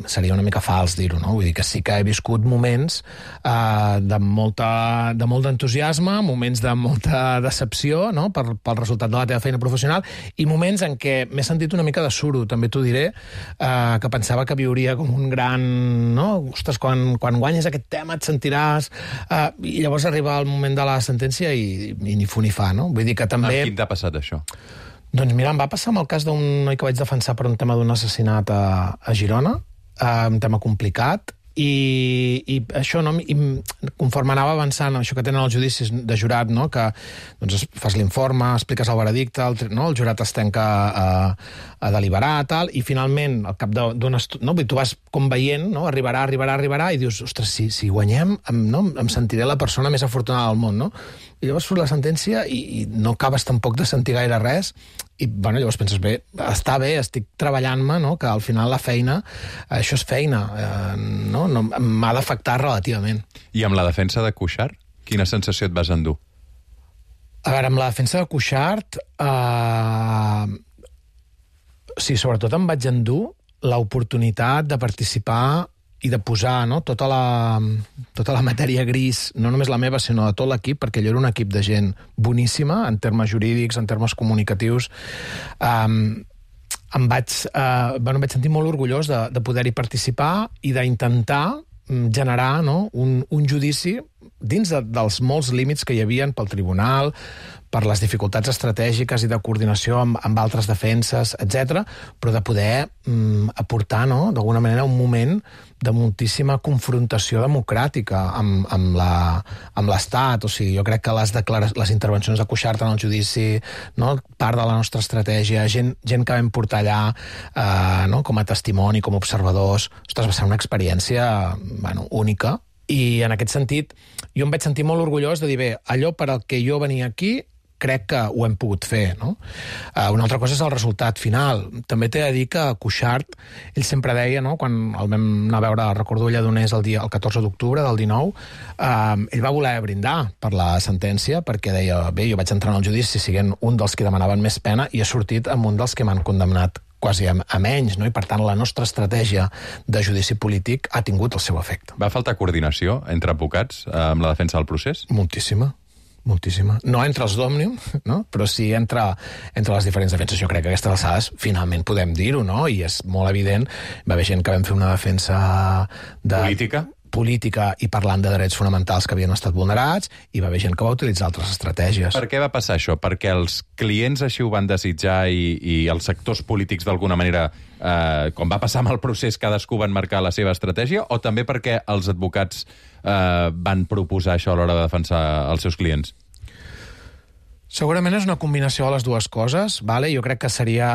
seria una mica fals dir-ho, no? Vull dir que sí que he viscut moments eh, de, molta, de molt d'entusiasme, moments de molta decepció, no?, per, pel resultat de la teva feina professional, i moments en què m'he sentit una mica de suro, també t'ho diré, eh, que pensava que viuria com un gran... No? Ostres, quan, quan guanyes aquest tema et sentiràs... Uh, i llavors arriba el moment de la sentència i, i ni fu ni fa, no? Vull dir que també... Amb quin t'ha passat, això? Doncs mira, em va passar amb el cas d'un noi que vaig defensar per un tema d'un assassinat a, a Girona, uh, un tema complicat, i, i això, no, i conforme anava avançant, això que tenen els judicis de jurat, no, que doncs, fas l'informe, expliques el veredicte, el, no, el jurat es tanca a, a deliberar, tal, i finalment, al cap d'un estudi, no, tu vas com veient, no, arribarà, arribarà, arribarà, i dius, ostres, si, si guanyem, em, no, em sentiré la persona més afortunada del món, no? I llavors surt la sentència i, i no acabes tampoc de sentir gaire res, i bueno, llavors penses, bé, està bé, estic treballant-me, no?, que al final la feina, això és feina, eh, no? no m'ha d'afectar relativament. I amb la defensa de Cuixart, quina sensació et vas endur? A veure, amb la defensa de Cuixart, eh, sí, sobretot em vaig endur l'oportunitat de participar i de posar, no, tota la, tota la matèria gris, no només la meva, sinó de tot l'equip, perquè allò era un equip de gent boníssima, en termes jurídics, en termes comunicatius. Um, em vaig, uh, bueno, em vaig sentir molt orgullós de, de poder-hi participar i d'intentar generar, no, un, un judici dins de, dels molts límits que hi havia pel tribunal, per les dificultats estratègiques i de coordinació amb, amb altres defenses, etcètera, però de poder mm, aportar, no?, d'alguna manera un moment de moltíssima confrontació democràtica amb, amb la, amb l'Estat. O sigui, jo crec que les, les intervencions de Cuixart en el judici, no?, part de la nostra estratègia, gent, gent que vam portar allà eh, no?, com a testimoni, com a observadors, ostres, va ser una experiència, bueno, única. I en aquest sentit, jo em vaig sentir molt orgullós de dir, bé, allò per al que jo venia aquí, crec que ho hem pogut fer, no? Uh, una altra cosa és el resultat final. També t'he de dir que Cuixart, ell sempre deia, no?, quan el vam anar a veure, recordo a Lledoners el, dia, el catorze d'octubre del dinou, uh, ell va voler brindar per la sentència, perquè deia, bé, jo vaig entrar en el judici siguent un dels que demanaven més pena i he sortit amb un dels que m'han condemnat quasi a, a menys, no? I per tant la nostra estratègia de judici polític ha tingut el seu efecte. Va faltar coordinació entre advocats eh, amb la defensa del procés? Moltíssima. Moltíssima. No entre els d'Òmnium, no?, però sí entre, entre les diferents defenses. Jo crec que aquestes alçades finalment podem dir-ho, no?, i és molt evident. Va haver gent que vam fer una defensa de... Política? política i parlant de drets fonamentals que havien estat vulnerats, i va haver gent que va utilitzar altres estratègies. Per què va passar això? Perquè els clients així ho van desitjar i, i els sectors polítics d'alguna manera, eh, com va passar amb el procés, cadascú van marcar la seva estratègia, o també perquè els advocats eh, van proposar això a l'hora de defensar els seus clients? Segurament és una combinació de les dues coses, vale? Jo crec que seria,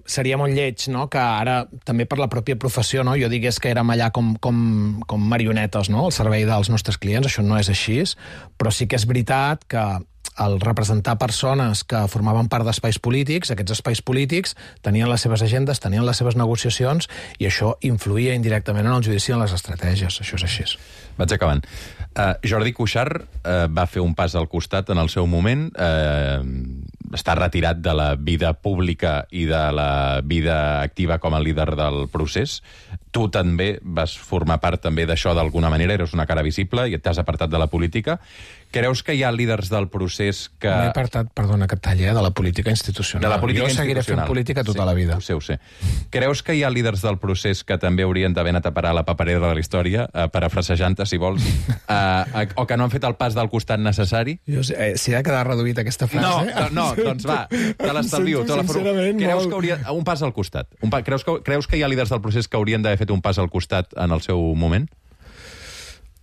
seria molt lleig, no?, que ara, també per la pròpia professió, no?, jo digués que érem allà com, com, com marionetes, no?, al servei dels nostres clients. Això no és així, però sí que és veritat que el representar persones que formaven part d'espais polítics, aquests espais polítics tenien les seves agendes, tenien les seves negociacions, i això influïa indirectament en el judici i en les estratègies. Això és així. Vaig acabant. Uh, Jordi Cuixart uh, va fer un pas al costat en el seu moment, uh, està retirat de la vida pública i de la vida activa com a líder del procés. Tu també vas formar part també d'això d'alguna manera, eres una cara visible i t'has apartat de la política. Creus que hi ha líders del procés que... M'he apartat, perdona que et talli, eh, de la política institucional. De la política jo institucional. seguiré fent política tota sí, la vida. Ho sé, ho sé. Creus que hi ha líders del procés que també haurien d'haver anat a parar a la paperera de la història, eh, parafrasejant-te, si vols, eh, o que no han fet el pas del costat necessari? Jo sé, eh, si ha quedat reduït aquesta frase... No, no, no doncs va, te l'estalvio. Te la sincerament, creus molt... que hauria... Un pas al costat. Un pa... creus, que... creus que hi ha líders del procés que haurien d'haver fet un pas al costat en el seu moment?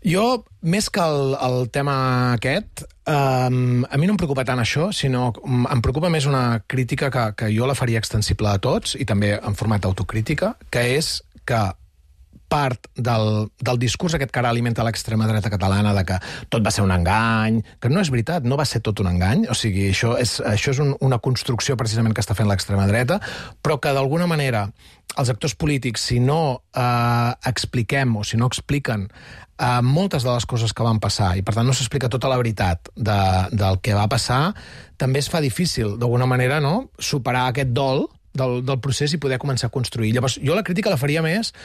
Jo, més que el, el tema aquest, um, a mi no em preocupa tant això, sinó em preocupa més una crítica que, que jo la faria extensible a tots, i també en format d'autocrítica, que és que part del, del discurs aquest que ara alimenta l'extrema dreta catalana de que tot va ser un engany, que no és veritat, no va ser tot un engany, o sigui, això és, això és un, una construcció precisament que està fent l'extrema dreta, però que d'alguna manera els actors polítics, si no eh, expliquem o si no expliquen eh, moltes de les coses que van passar, i per tant no s'explica tota la veritat de, del que va passar, també es fa difícil, d'alguna manera, no?, superar aquest dol del, del procés i poder començar a construir. Llavors, jo la crítica la faria més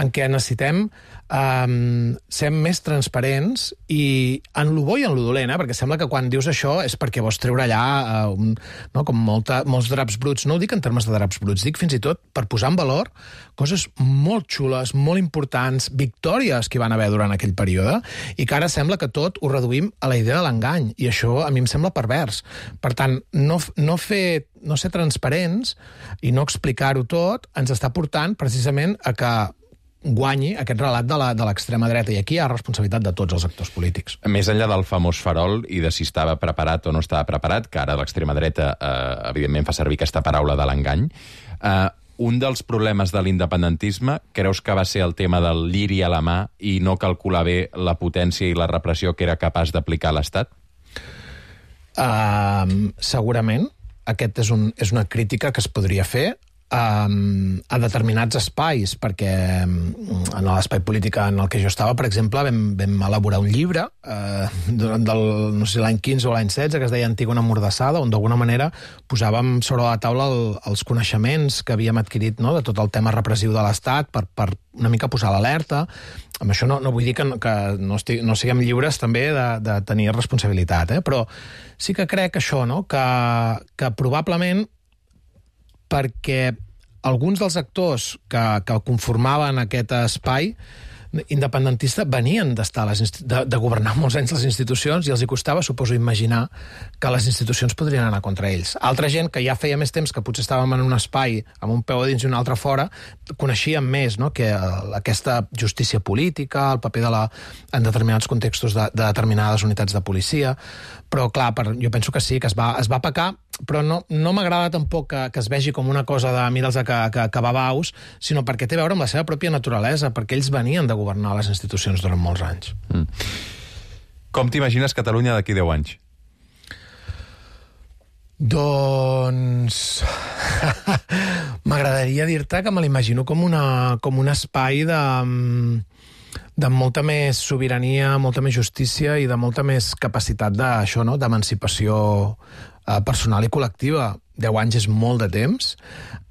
en què necessitem um, ser més transparents i en lo bo i en lo dolent, eh? Perquè sembla que quan dius això és perquè vols treure allà uh, un, no, com molta, molts draps bruts. No ho dic en termes de draps bruts, dic fins i tot per posar en valor coses molt xules, molt importants, victòries que hi van haver durant aquell període, i que ara sembla que tot ho reduïm a la idea de l'engany, i això a mi em sembla pervers. Per tant, no, no fer no ser transparents i no explicar-ho tot ens està portant precisament a que guanyi aquest relat de l'extrema dreta, i aquí hi ha responsabilitat de tots els actors polítics. Més enllà del famós farol i de si estava preparat o no estava preparat, que ara l'extrema dreta eh, evidentment fa servir aquesta paraula de l'engany, eh, un dels problemes de l'independentisme creus que va ser el tema del lliri a la mà i no calcular bé la potència i la repressió que era capaç d'aplicar l'Estat? Uh, segurament. Aquest és, un, és una crítica que es podria fer um, a determinats espais, perquè um, en l'espai polític en el que jo estava, per exemple, vam, vam elaborar un llibre uh, durant del, no sé, l'any quinze o l'any setze, que es deia Antígona Mordassada, on d'alguna manera posàvem sobre la taula el, els coneixements que havíem adquirit, no?, de tot el tema repressiu de l'Estat per, per una mica posar l'alerta. Amb això no, no vull dir que, que no, estig, no siguem lliures també de, de tenir responsabilitat, eh? Però sí que crec això, no?, que, que probablement perquè alguns dels actors que, que conformaven aquest espai independentista venien d'estar a les de, de governar molts anys les institucions, i els hi costava, suposo, imaginar que les institucions podrien anar contra ells. Altra gent que ja feia més temps que potser estàvem en un espai amb un peu a dins i un altre fora, coneixíem més, no?, que aquesta justícia política, el paper de la, en determinats contextos de, de determinades unitats de policia, però clar, per, jo penso que sí, que es va, es va pecar, però no, no m'agrada tampoc que, que es vegi com una cosa de mira'ls que, que, que babaus, sinó perquè té a veure amb la seva pròpia naturalesa, perquè ells venien de governar les institucions durant molts anys. Mm. Com t'imagines Catalunya d'aquí deu anys? Doncs... m'agradaria dir-te que me l'imagino com, una, com un espai de... de molta més sobirania, molta més justícia i de molta més capacitat d'això, no?, d'emancipació eh, personal i col·lectiva. Deu anys és molt de temps.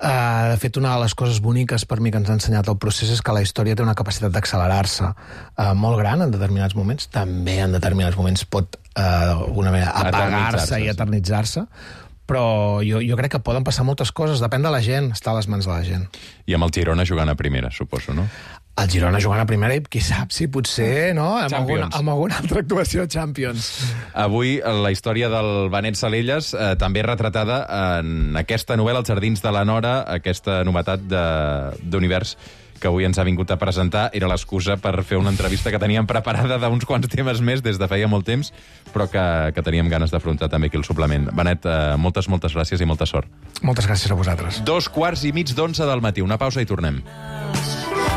Eh, de fet, una de les coses boniques per mi que ens ha ensenyat el procés és que la història té una capacitat d'accelerar-se eh, molt gran en determinats moments. També en determinats moments pot eh, d'alguna manera apagar-se i eternitzar-se. Però jo, jo crec que poden passar moltes coses. Depèn de la gent, està a les mans de la gent. I amb el Girona jugant a primera, suposo, no? El Girona jugant a primera i qui sap si potser, no?, amb, alguna, amb alguna altra actuació a Champions. Avui la història del Benet Salellas eh, també retratada en aquesta novel·la, Els jardins de la Nora, aquesta novetat d'univers que avui ens ha vingut a presentar. Era l'excusa per fer una entrevista que teníem preparada d'uns quants temes més des de feia molt temps, però que, que teníem ganes d'afrontar també aquí el suplement. Benet, eh, moltes, moltes gràcies i molta sort. Moltes gràcies a vosaltres. Dos quarts i mig d'onze del matí. Una pausa i tornem.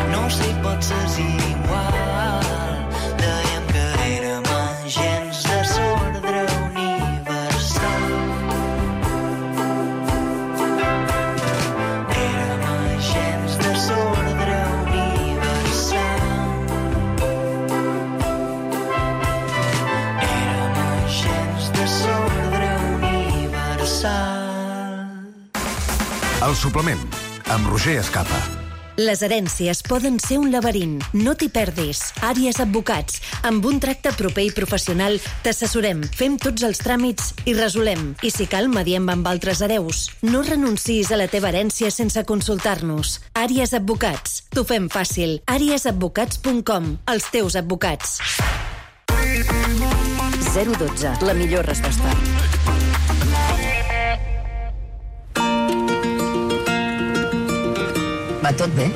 No sé, potser és igual. Dèiem que érem agents de desordre universal. El suplement, amb Roger Escapa. Les herències poden ser un laberint. No t'hi perdis. Àries Advocats. Amb un tracte proper i professional t'assessorem, fem tots els tràmits i resolem. I si cal, mediem amb altres hereus. No renunciïs a la teva herència sense consultar-nos. Àries Advocats. T'ho fem fàcil. àries advocats punt com. Els teus advocats. zero dotze. La millor resposta. Va tot bé?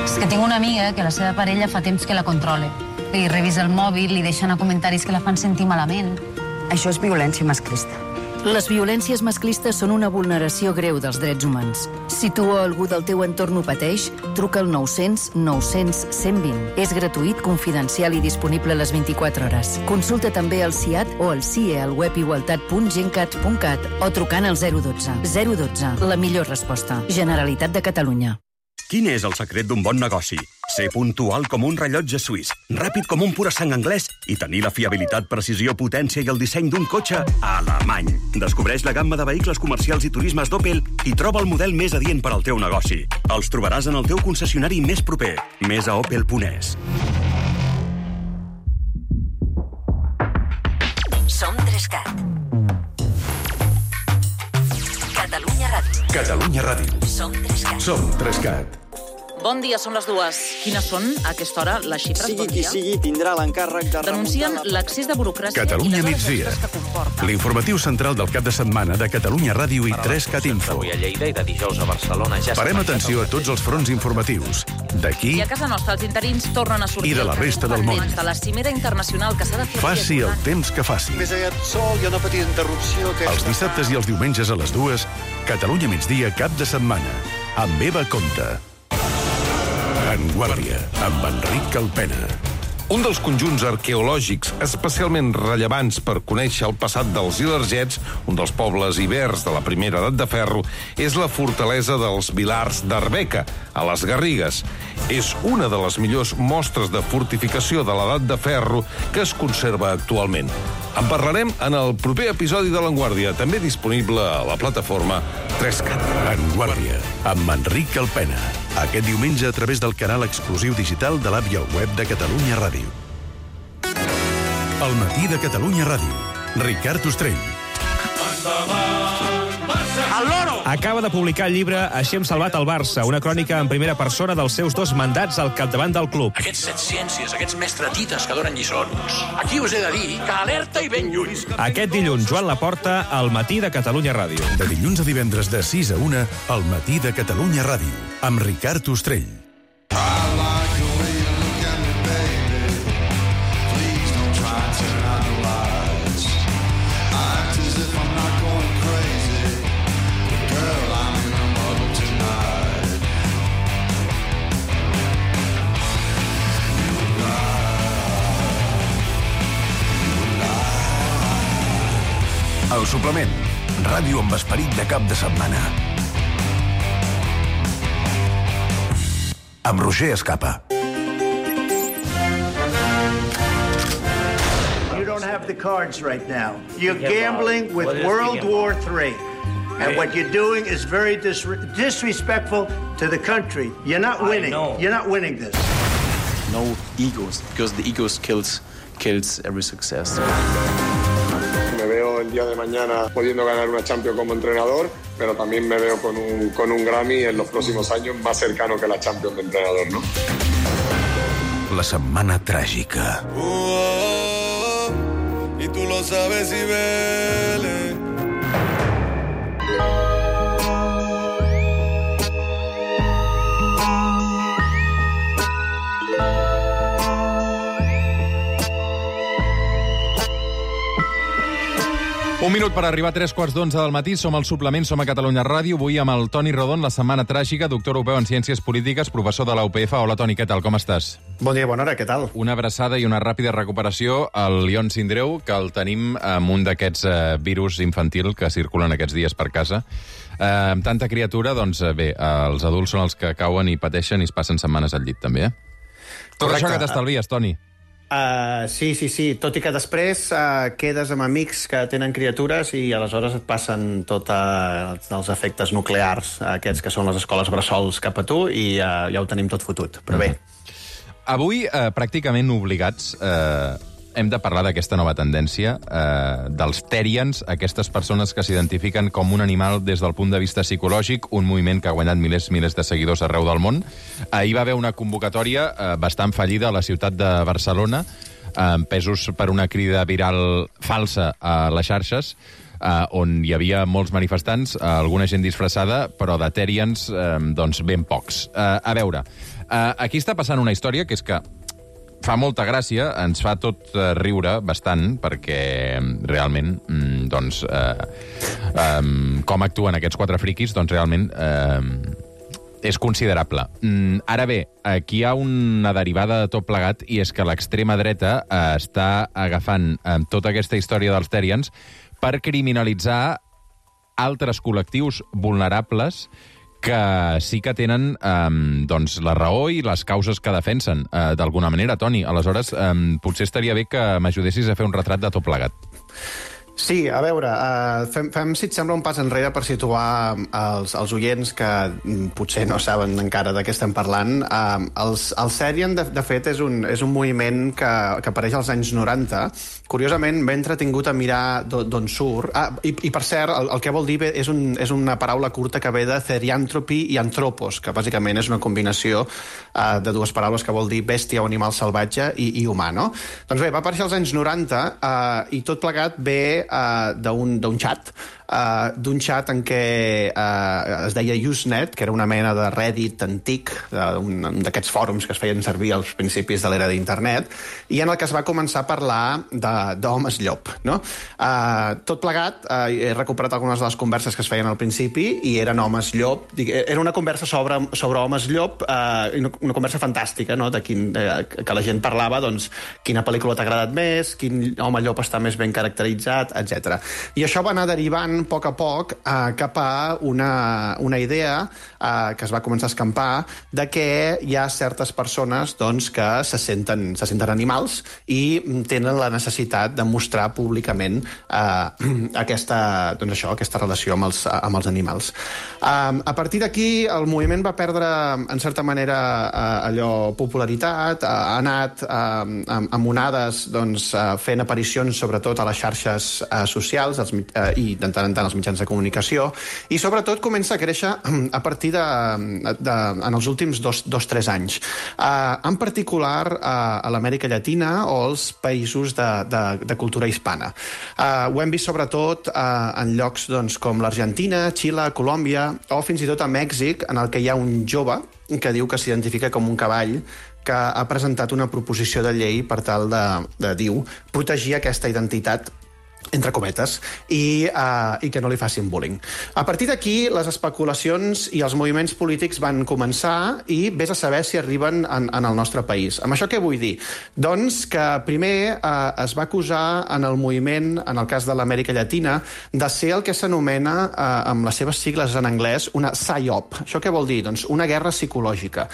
És que tinc una amiga que la seva parella fa temps que la controla. Li revisa el mòbil, li deixa anar comentaris que la fan sentir malament. Això és violència masclista. Les violències masclistes són una vulneració greu dels drets humans. Si tu o algú del teu entorn ho pateix, truca al nou cents nou cents cent vint. És gratuït, confidencial i disponible a les vint-i-quatre hores. Consulta també el C I A T o el C I E al web igualtat punt gencat punt cat o trucant al zero dotze. zero dotze, la millor resposta. Generalitat de Catalunya. Quin és el secret d'un bon negoci? Ser puntual com un rellotge suís, ràpid com un pura sang anglès i tenir la fiabilitat, precisió, potència i el disseny d'un cotxe alemany. Descobreix la gamma de vehicles comercials i turismes d'Opel i troba el model més adient per al teu negoci. Els trobaràs en el teu concessionari més proper. Més a opel punt es. Som Trescat. Catalunya Ràdio. Catalunya Ràdio. Som Trescat. Som Trescat. Bon dia, són les dues. Quines són, a aquesta hora, les xifres? Sigui bon qui dia? sigui, tindrà l'encàrrec de Denuncien remuntar la... l'accés de burocràcia Catalunya i les hores migdia. extres que comporta. L'informatiu central del cap de setmana de Catalunya Ràdio i Trescat Info. Avui a Lleida i de dijous a Barcelona ja Parem atenció a tots els fronts informatius. D'aquí I a casa nostra els interins tornen a sortir I de la resta del món. de la cimera internacional que s'ha de fer... faci el temps que faci. Més aviat sol, hi ha una petita interrupció que... Els dissabtes i els diumenges a les dues, Catalunya migdia cap de setmana. Amb Eva Comte. En Guàrdia, amb Enric Calpena. Un dels conjunts arqueològics especialment rellevants per conèixer el passat dels ilergets, un dels pobles ibers de la primera edat de ferro, és la fortalesa dels Vilars d'Arbeca, a les Garrigues. És una de les millors mostres de fortificació de l'edat de ferro que es conserva actualment. En parlarem en el proper episodi de l'Enguàrdia, també disponible a la plataforma Trescat. En Guàrdia, amb Enric Calpena. Aquest diumenge a través del canal exclusiu digital de l'app i el web de Catalunya Ràdio. El matí de Catalunya Ràdio. Ricard Ostrell. El loro! Acaba de publicar el llibre Així hem salvat el Barça, una crònica en primera persona dels seus dos mandats al capdavant del club. Aquests set ciències, aquests mestretites que donen lliçons. Aquí us he de dir que alerta i ben lluny. Aquest dilluns, Joan Laporta, al matí de Catalunya Ràdio. De dilluns a divendres de sis a una, al matí de Catalunya Ràdio, amb Ricard Ostrell. El suplement. Ràdio amb esperit de cap de setmana. Amb Roger Escapa. You don't have the cards right now. You're gambling with World War Three. And what you're doing is very dis disrespectful to the country. You're not winning. You're not winning this. No egos, because the egos kills, kills every success. Me veo el día de mañana pudiendo ganar una Champions como entrenador, pero también me veo con un, con un Grammy en los próximos años más cercano que la Champions de entrenador, ¿no? La setmana tràgica. Uh, oh, oh, y tú lo sabes, Cibeles. Un minut per arribar a tres quarts d'onze del matí. Som al suplement, som a Catalunya Ràdio. Avui amb el Toni Rodon, la setmana tràgica, doctor europeu en Ciències Polítiques, professor de la U P F. Hola, Toni, què tal? Com estàs? Bon dia, bona hora, què tal? Una abraçada i una ràpida recuperació al Lion Sindreu, que el tenim amb un d'aquests eh, virus infantil que circulen aquests dies per casa. Eh, amb tanta criatura, doncs bé, eh, els adults són els que cauen i pateixen i es passen setmanes al llit, també, eh? Tot això que t'estalvies, Toni. Uh, sí, sí, sí. Tot i que després uh, quedes amb amics que tenen criatures i aleshores et passen tots uh, els efectes nuclears, uh, aquests que són les escoles bressols cap a tu, i uh, ja ho tenim tot fotut. Però bé. Avui, eh, pràcticament obligats, eh, hem de parlar d'aquesta nova tendència, eh, dels Therians, aquestes persones que s'identifiquen com un animal des del punt de vista psicològic, un moviment que ha guanyat milers milers de seguidors arreu del món. Ahir va haver una convocatòria eh, bastant fallida a la ciutat de Barcelona, eh, empesos per una crida viral falsa a les xarxes, eh, on hi havia molts manifestants, eh, alguna gent disfressada, però de Therians, eh, doncs, ben pocs. Eh, a veure, eh, aquí està passant una història que és que fa molta gràcia, ens fa tot eh, riure bastant, perquè realment, mm, doncs, eh, eh, com actuen aquests quatre friquis, doncs realment eh, és considerable. Mm, ara bé, aquí hi ha una derivada de tot plegat, i és que l'extrema dreta eh, està agafant eh, tota aquesta història dels Therians per criminalitzar altres col·lectius vulnerables que sí que tenen eh, doncs, la raó i les causes que defensen, eh, d'alguna manera, Toni. Aleshores, eh, potser estaria bé que m'ajudessis a fer un retrat de tot plegat. Sí, a veure, uh, fem, fem, si et sembla, un pas enrere per situar els, els oients que mm, potser no saben encara de què estem parlant. Uh, els, el Therian, de, de fet, és un, és un moviment que, que apareix als anys noranta. Curiosament, m'he entretingut a mirar d'on surt. Ah, i, i, per cert, el, el que vol dir és, un, és una paraula curta que ve de therianthropy i anthropos, que bàsicament és una combinació uh, de dues paraules que vol dir bèstia o animal salvatge i, i humà, no? Doncs bé, va aparèixer als anys noranta uh, i tot plegat ve Uh, d'un xat, uh, d'un xat en què uh, es deia Usenet, que era una mena de Reddit antic, d'aquests fòrums que es feien servir als principis de l'era d'internet, i en el que es va començar a parlar d'homes llop, no? Uh, tot plegat, uh, he recuperat algunes de les converses que es feien al principi, i eren homes llop. Era una conversa sobre, sobre homes llop, uh, una conversa fantàstica, no? De quin, uh, que la gent parlava, doncs, quina pel·lícula t'ha agradat més, quin home llop està més ben caracteritzat, etcètera. I això va anar derivant a poc a poc eh, cap a una, una idea eh, que es va començar a escampar de que hi ha certes persones doncs, que se senten, se senten animals i tenen la necessitat de mostrar públicament eh, aquesta, doncs això, aquesta relació amb els, amb els animals. Eh, a partir d'aquí el moviment va perdre, en certa manera, eh, allò popularitat, eh, ha anat eh, amb, amb onades doncs, eh, fent aparicions sobretot a les xarxes eh, socials els, eh, i de tant en tant als mitjans de comunicació, i sobretot comença a créixer a partir de, de en els últims dos, dos tres anys. Eh, en particular eh, a l'Amèrica Llatina o als països de, de, de cultura hispana. Eh, ho hem vist sobretot eh, en llocs doncs, com l'Argentina, Xile, Colòmbia o fins i tot a Mèxic, en el que hi ha un jove que diu que s'identifica com un cavall que ha presentat una proposició de llei per tal de, de diu, protegir aquesta identitat entre cometes, i, uh, i que no li facin bullying. A partir d'aquí, les especulacions i els moviments polítics van començar i vés a saber si arriben en, en el nostre país. Amb això què vull dir? Doncs que primer uh, es va acusar en el moviment, en el cas de l'Amèrica Llatina, de ser el que s'anomena, uh, amb les seves sigles en anglès, una psyop. Això què vol dir? Doncs una guerra psicològica.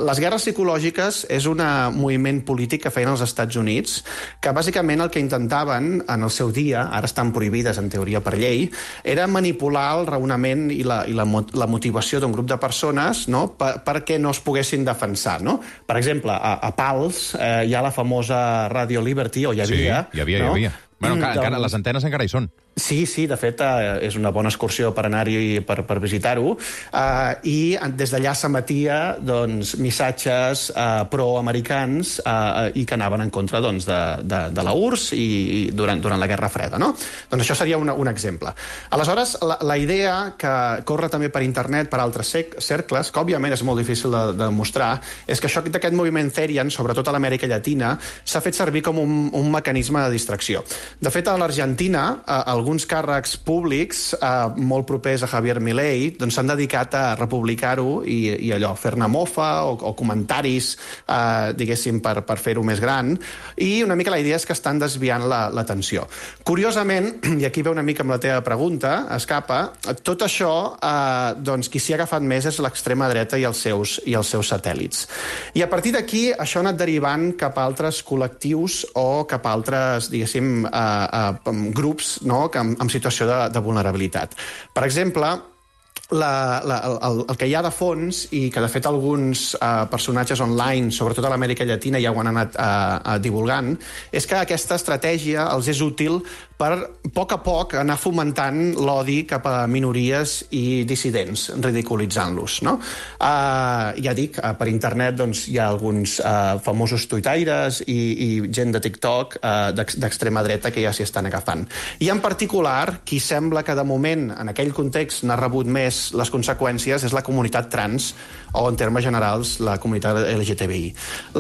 Les guerres psicològiques és un moviment polític que feien els Estats Units, que bàsicament el que intentaven en el seu dia, ara estan prohibides en teoria per llei, era manipular el raonament i la, i la, la motivació d'un grup de persones, no? per, perquè no es poguessin defensar. No? Per exemple, a, a Pals eh, hi ha la famosa Radio Liberty, o hi havia... Sí, hi havia, no? hi havia. Bueno, encara, doncs... encara, les antenes encara hi són. Sí, sí, de fet, eh, és una bona excursió per anar-hi, per, per visitar-ho, eh, i des d'allà s'emetia doncs, missatges eh, pro-americans eh, i que anaven en contra doncs, de, de, de la U R S s i, i durant, durant la Guerra Freda. No? Doncs això seria una, un exemple. Aleshores, la, la idea que corre també per internet, per altres cercles, que òbviament és molt difícil de, de demostrar, és que això d'aquest moviment Therian, sobretot a l'Amèrica Llatina, s'ha fet servir com un, un mecanisme de distracció. De fet, a l'Argentina, eh, el alguns càrrecs públics eh, molt propers a Javier Milei doncs s'han dedicat a republicar-ho i, i allò, fer-ne mofa o, o comentaris, eh, diguéssim, per, per fer-ho més gran, i una mica la idea és que estan desviant l'atenció. La, Curiosament, i aquí ve una mica amb la teva pregunta, Escapa, tot això, eh, doncs, qui s'hi ha agafat més és l'extrema dreta i els seus, i els seus satèl·lits. I a partir d'aquí, això ha anat derivant cap a altres col·lectius o cap a altres, diguéssim, eh, eh, grups, no?, que, en, en situació de, de vulnerabilitat. Per exemple, La, la, el, el que hi ha de fons, i que de fet alguns eh, personatges online, sobretot a l'Amèrica Llatina, ja ho han anat eh, divulgant, és que aquesta estratègia els és útil per, a poc a poc, anar fomentant l'odi cap a minories i dissidents, ridiculitzant-los, no? Eh, ja dic, eh, per internet doncs, hi ha alguns eh, famosos tuitaires i, i gent de TikTok eh, d'extrema dreta que ja s'hi estan agafant. I en particular, qui sembla que de moment, en aquell context, n'ha rebut més les conseqüències és la comunitat trans o, en termes generals, la comunitat L G T B I.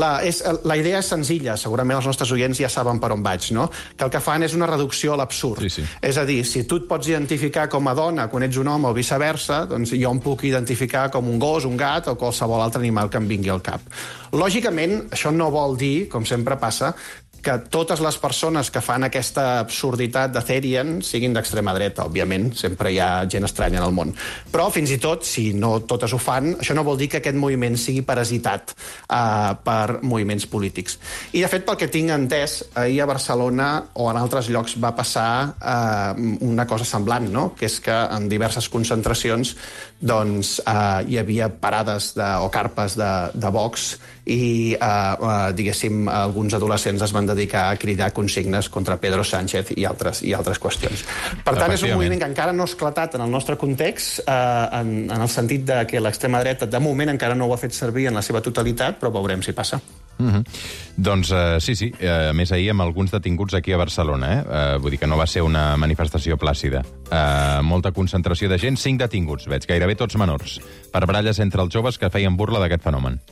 La, és, la idea és senzilla, segurament els nostres oients ja saben per on vaig, no? Que el que fan és una reducció a l'absurd. Sí, sí. És a dir, si tu et pots identificar com a dona quan ets un home o viceversa, doncs jo em puc identificar com un gos, un gat o qualsevol altre animal que em vingui al cap. Lògicament, això no vol dir, com sempre passa, que totes les persones que fan aquesta absurditat de Therian siguin d'extrema dreta, òbviament, sempre hi ha gent estranya en el món. Però, fins i tot, si no totes ho fan, això no vol dir que aquest moviment sigui parasitat eh, per moviments polítics. I, de fet, pel que tinc entès, ahir a Barcelona o en altres llocs va passar eh, una cosa semblant, no?, que és que en diverses concentracions doncs, eh, hi havia parades de, o carpes de, de Vox i, eh, eh, diguéssim, alguns adolescents es van dedicar a cridar consignes contra Pedro Sánchez i altres, i altres qüestions. Per tant, és un moviment que encara no ha esclatat en el nostre context, eh, en, en el sentit de que l'extrema dreta, de moment, encara no ho ha fet servir en la seva totalitat, però veurem si passa. Mm-hmm. Doncs uh, sí, sí, uh, a més ahir amb alguns detinguts aquí a Barcelona, eh? Uh, vull dir que no va ser una manifestació plàcida. Uh, molta concentració de gent, cinc detinguts, veig, gairebé tots menors, per baralles entre els joves que feien burla d'aquest fenomen.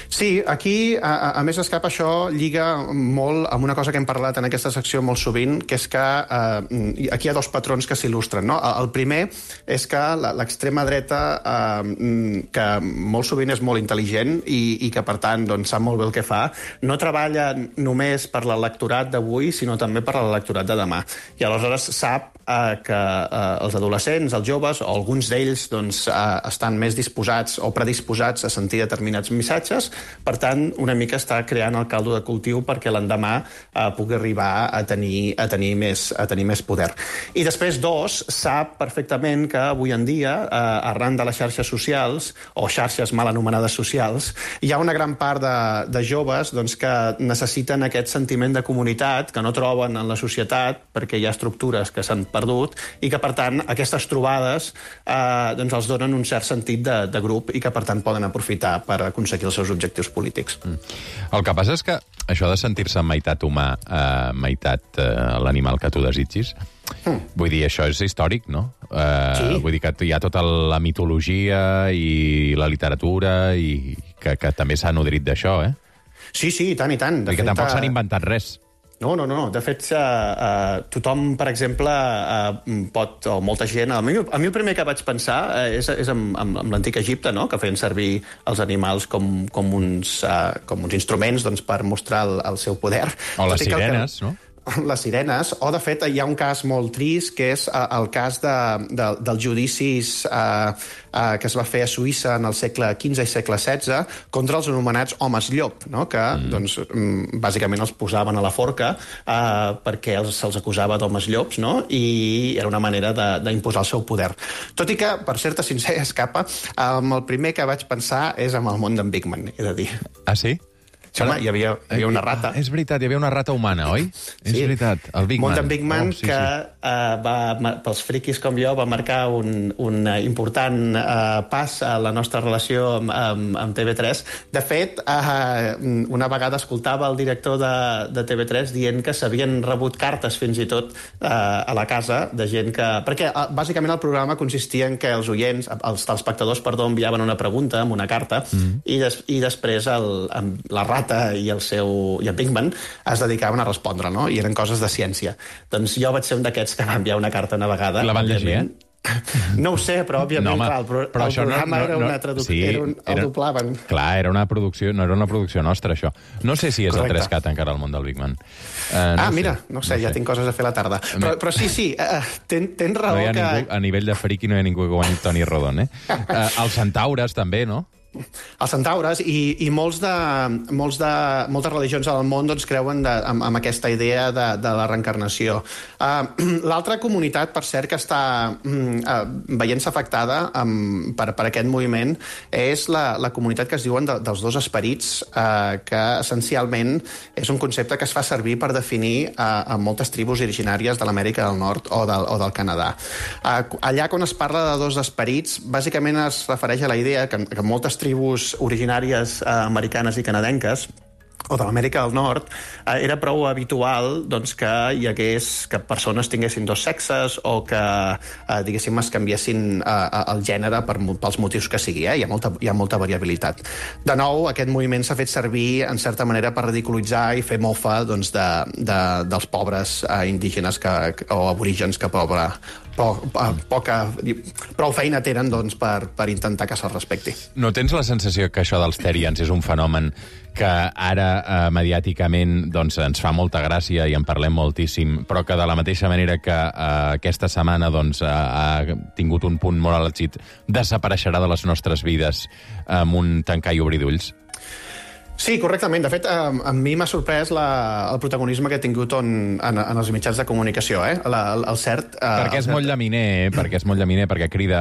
Sí, aquí, a, a més Escapa, això lliga molt amb una cosa que hem parlat en aquesta secció molt sovint, que és que eh, aquí hi ha dos patrons que s'il·lustren, no? El primer és que l'extrema dreta, eh, que molt sovint és molt intel·ligent i, i que, per tant, doncs, sap molt bé el que fa, no treballa només per l'electorat d'avui, sinó també per l'electorat de demà. I aleshores sap eh, que eh, els adolescents, els joves, o alguns d'ells doncs, eh, estan més disposats o predisposats a sentir determinats missatges. Per tant, una mica està creant el caldo de cultiu perquè l'endemà eh, pugui arribar a tenir, a, tenir més, a tenir més poder. I després, dos, sap perfectament que avui en dia, eh, arran de les xarxes socials, o xarxes mal anomenades socials, hi ha una gran part de, de joves doncs, que necessiten aquest sentiment de comunitat que no troben en la societat perquè hi ha estructures que s'han perdut i que, per tant, aquestes trobades eh, doncs els donen un cert sentit de, de grup i que, per tant, poden aprofitar per aconseguir els seus objectius polítics. Mm. El que passa és que això de sentir-se meitat humà, eh, meitat eh, l'animal que tu desitgis, mm. vull dir, això és històric, no? Eh, sí. Vull dir que hi ha tota la mitologia i la literatura i que, que també s'ha nodrit d'això, eh? Sí, sí, i tant, i tant. De fet, que tampoc s'han inventat res. No, no, no. De fet, uh, uh, tothom, per exemple, uh, pot, o molta gent... A mi, a mi el primer que vaig pensar uh, és, és amb, amb, amb l'antic Egipte, no?, que feien servir els animals com, com, uns, uh, com uns instruments doncs, per mostrar el, el seu poder. O les sirenes, que... no? Les sirenes, o de fet hi ha un cas molt trist que és uh, el cas de, de, dels judicis uh, uh, que es va fer a Suïssa en el segle quinze i segle setze contra els anomenats homes llop, no? Que mm. doncs, bàsicament els posaven a la forca uh, perquè els, se'ls acusava d'homes llops, no? I era una manera d'imposar el seu poder. Tot i que, per ser-te sincer, Escapa, um, el primer que vaig pensar és amb el món d'en Bigman, he de dir. Ah, sí? Sí, home, hi havia, hi havia una rata. És veritat, hi havia una rata humana, oi? Sí. És veritat, el Big Man. Montan Big Man, oh, sí, que sí. Uh, va, pels friquis com jo, va marcar un, un important uh, pas a la nostra relació amb, amb, amb T V tres. De fet, uh, una vegada escoltava el director de, de T V tres dient que s'havien rebut cartes fins i tot uh, a la casa de gent que... Perquè, uh, bàsicament, el programa consistia en que els oients, els telespectadors, perdó, enviaven una pregunta amb una carta mm. i, des, i després el, la rata Marta i el seu i el Pinkman es dedicaven a respondre, no? I eren coses de ciència. Doncs jo vaig ser un d'aquests que va enviar una carta una vegada. La van llegir, eh? No ho sé, però òbviament, no, home, clar, el, pro però el programa no, no, era una traducció, sí, era un, el era, doblaven. Clar, era una producció, no era una producció nostra, això. No sé si és Correcte. El tres cat encara al món del Big Man. Uh, no ah, sé, mira, no sé, no ja sé. Tinc coses a fer a la tarda. Però, però sí, sí, uh, ten, tens raó no que... Ningú, a nivell de friki no hi ha ningú que guanyi Toni Rodon, eh? Uh, els centaures, també, no? Els centaures i, i molts de, molts de, moltes religions al món doncs, creuen de, amb, amb aquesta idea de, de la reencarnació. Uh, L'altra comunitat, per cert, que està uh, veient-se afectada um, per, per aquest moviment és la, la comunitat que es diuen de, dels dos esperits, uh, que essencialment és un concepte que es fa servir per definir uh, a moltes tribus originàries de l'Amèrica del Nord o del, o del Canadà. Uh, allà, quan es parla de dos esperits, bàsicament es refereix a la idea que, que moltes tribus originàries eh, americanes i canadenques o de l'Amèrica del Nord, eh, era prou habitual doncs, que hi hagués que persones tinguessin dos sexes o que, eh, diguéssim, es canviessin eh, el gènere per, pels motius que sigui. Eh? Hi ha molta, hi ha molta variabilitat. De nou, aquest moviment s'ha fet servir, en certa manera, per ridiculitzar i fer mofa doncs, de, de, dels pobres eh, indígenes que, o aborígens que pobre, po, poca, prou feina tenen doncs, per, per intentar que se'ls respecti. No tens la sensació que això dels Therians és un fenomen que ara eh, mediàticament doncs, ens fa molta gràcia i en parlem moltíssim, però que de la mateixa manera que eh, aquesta setmana doncs, eh, ha tingut un punt molt àlgid, desapareixerà de les nostres vides amb un tancar i obrir d'ulls? Sí, correctament. De fet, a, a mi m'ha sorprès la, el protagonisme que ha tingut en, en, en els mitjans de comunicació, eh? La, el, el cert... Eh, perquè és cert... molt llaminer, eh? Perquè és molt llaminer, perquè crida...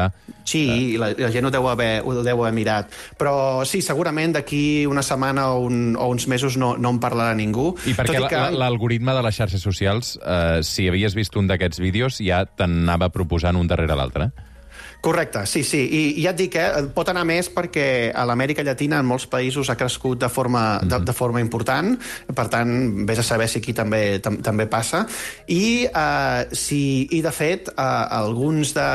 Sí, i la, la gent ho deu, haver, ho deu haver mirat. Però sí, segurament d'aquí una setmana o, un, o uns mesos no, no en parlarà ningú. I perquè que... l'algoritme de les xarxes socials, eh, si havies vist un d'aquests vídeos, ja t'anava proposant un darrere l'altre. Correcte, sí, sí. I, i ja et dic, eh, pot anar més perquè a l'Amèrica Llatina en molts països ha crescut de forma, de, de forma important, per tant, vés a saber si aquí també, tam, també passa. I, eh, si, i de fet, eh, alguns de...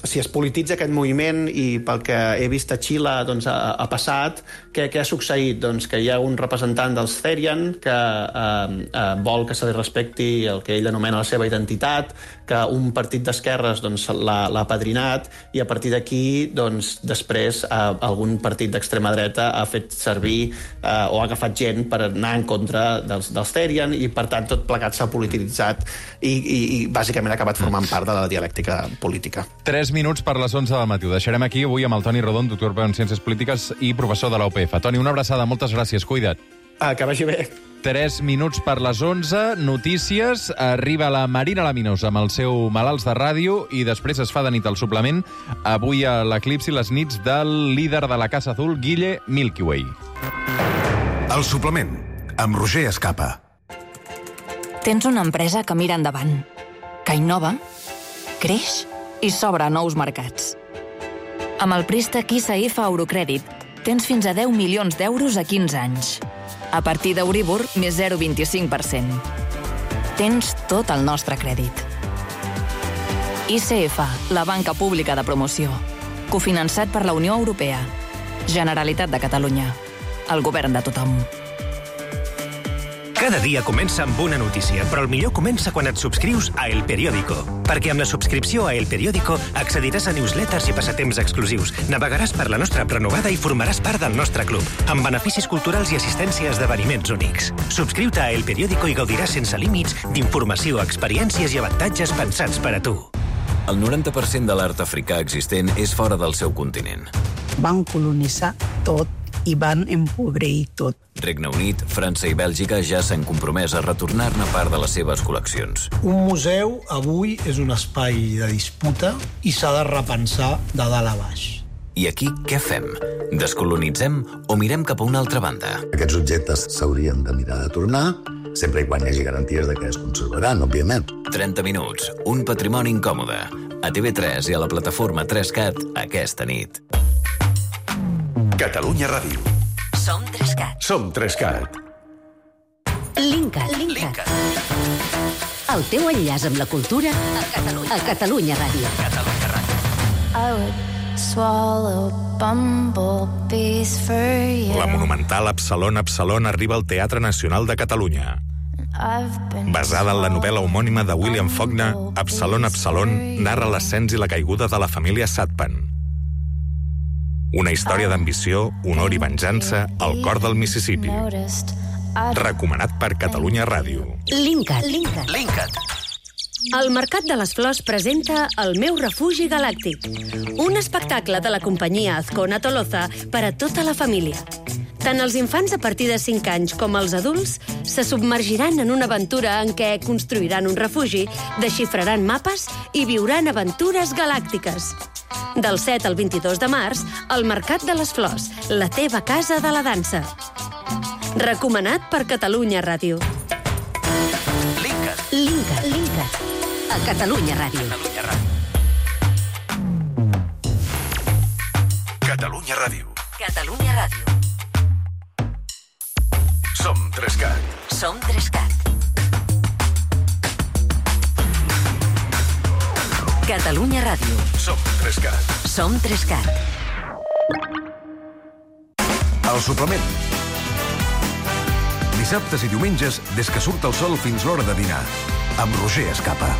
Si es polititza aquest moviment i pel que he vist a Xile doncs, ha, ha passat, què, què ha succeït? Doncs que hi ha un representant dels Therian que eh, eh, vol que se li respecti el que ell anomena la seva identitat, que un partit d'esquerres doncs, l'ha apadrinat, i a partir d'aquí, doncs, després, eh, algun partit d'extrema dreta ha fet servir eh, o ha agafat gent per anar en contra dels, dels Therian i, per tant, tot plegat s'ha polititzat i, i, i, bàsicament, ha acabat formant part de la dialèctica política. Tres minuts per les onze del matí. Ho deixarem aquí avui amb el Toni Rodon, doctor en Ciències Polítiques i professor de la U P F. Toni, una abraçada. Moltes gràcies. Cuida't. Ah, que vagi bé. Tres minuts per les onze, notícies, arriba la Marina Laminos amb el seu Malalts de Ràdio i després es fa de nit al suplement, avui a l'Eclipsi les nits del líder de la Casa Azul, Guille Milky Way. El suplement, amb Roger Escapa. Tens una empresa que mira endavant, que innova, creix i s'obre a nous mercats. Amb el préstec I C F Eurocrèdit tens fins a deu milions d'euros a quinze anys. A partir d'Euribor, més zero coma vint-i-cinc per cent. Tens tot el nostre crèdit. I C F, la banca pública de promoció. Cofinançat per la Unió Europea. Generalitat de Catalunya. El govern de tothom. Cada dia comença amb una notícia, però el millor comença quan et subscrius a El Periódico. Perquè amb la subscripció a El Periódico accediràs a newsletters i passatemps exclusius, navegaràs per la nostra prenovada i formaràs part del nostre club, amb beneficis culturals i assistència a esdeveniments únics. Subscriu-te a El Periódico i gaudiràs sense límits d'informació, experiències i avantatges pensats per a tu. El noranta per cent de l'art africà existent és fora del seu continent. Van colonitzar tot i van empobrir tot. Regne Unit, França i Bèlgica ja s'han compromès a retornar-ne part de les seves col·leccions. Un museu avui és un espai de disputa i s'ha de repensar de dalt a baix. I aquí què fem? Descolonitzem o mirem cap a una altra banda? Aquests objectes s'haurien de mirar de tornar, sempre i quan hi hagi garanties de que es conservaran, òbviament. trenta minuts, un patrimoni incòmode. A T V tres i a la plataforma tres cat aquesta nit. Catalunya Ràdio. Som tres cat. Som tres cat. Linkat. Linkat. El teu enllaç amb la cultura a Catalunya, a Catalunya Ràdio. Catalunya Ràdio. I would swallow bumblebees for you. La monumental Absalón Absalón arriba al Teatre Nacional de Catalunya. Basada en la novel·la homònima de William Faulkner, Absalón Absalón narra l'ascens i la caiguda de la família Satpan. Una història d'ambició, honor i venjança al cor del Mississippi. Recomanat per Catalunya Ràdio. Linkat. Linkat. El Mercat de les Flors presenta El meu refugi galàctic, un espectacle de la companyia Azcona Toloza per a tota la família. Tant els infants a partir de cinc anys com els adults se submergiran en una aventura en què construiran un refugi, desxifraran mapes i viuran aventures galàctiques. Del set al vint-i-dos de març, el Mercat de les Flors, la teva casa de la dansa. Recomanat per Catalunya Ràdio. Linkat. Linkat. Linkat. A Catalunya Ràdio. Catalunya Ràdio. Catalunya Ràdio. Som tres-cat. Som tres-cat. Catalunya Ràdio. Som tres-cat. Som tres-cat. El suplement. Dissabtes i diumenges, des que surt el sol fins l'hora de dinar, amb Roger Escapa.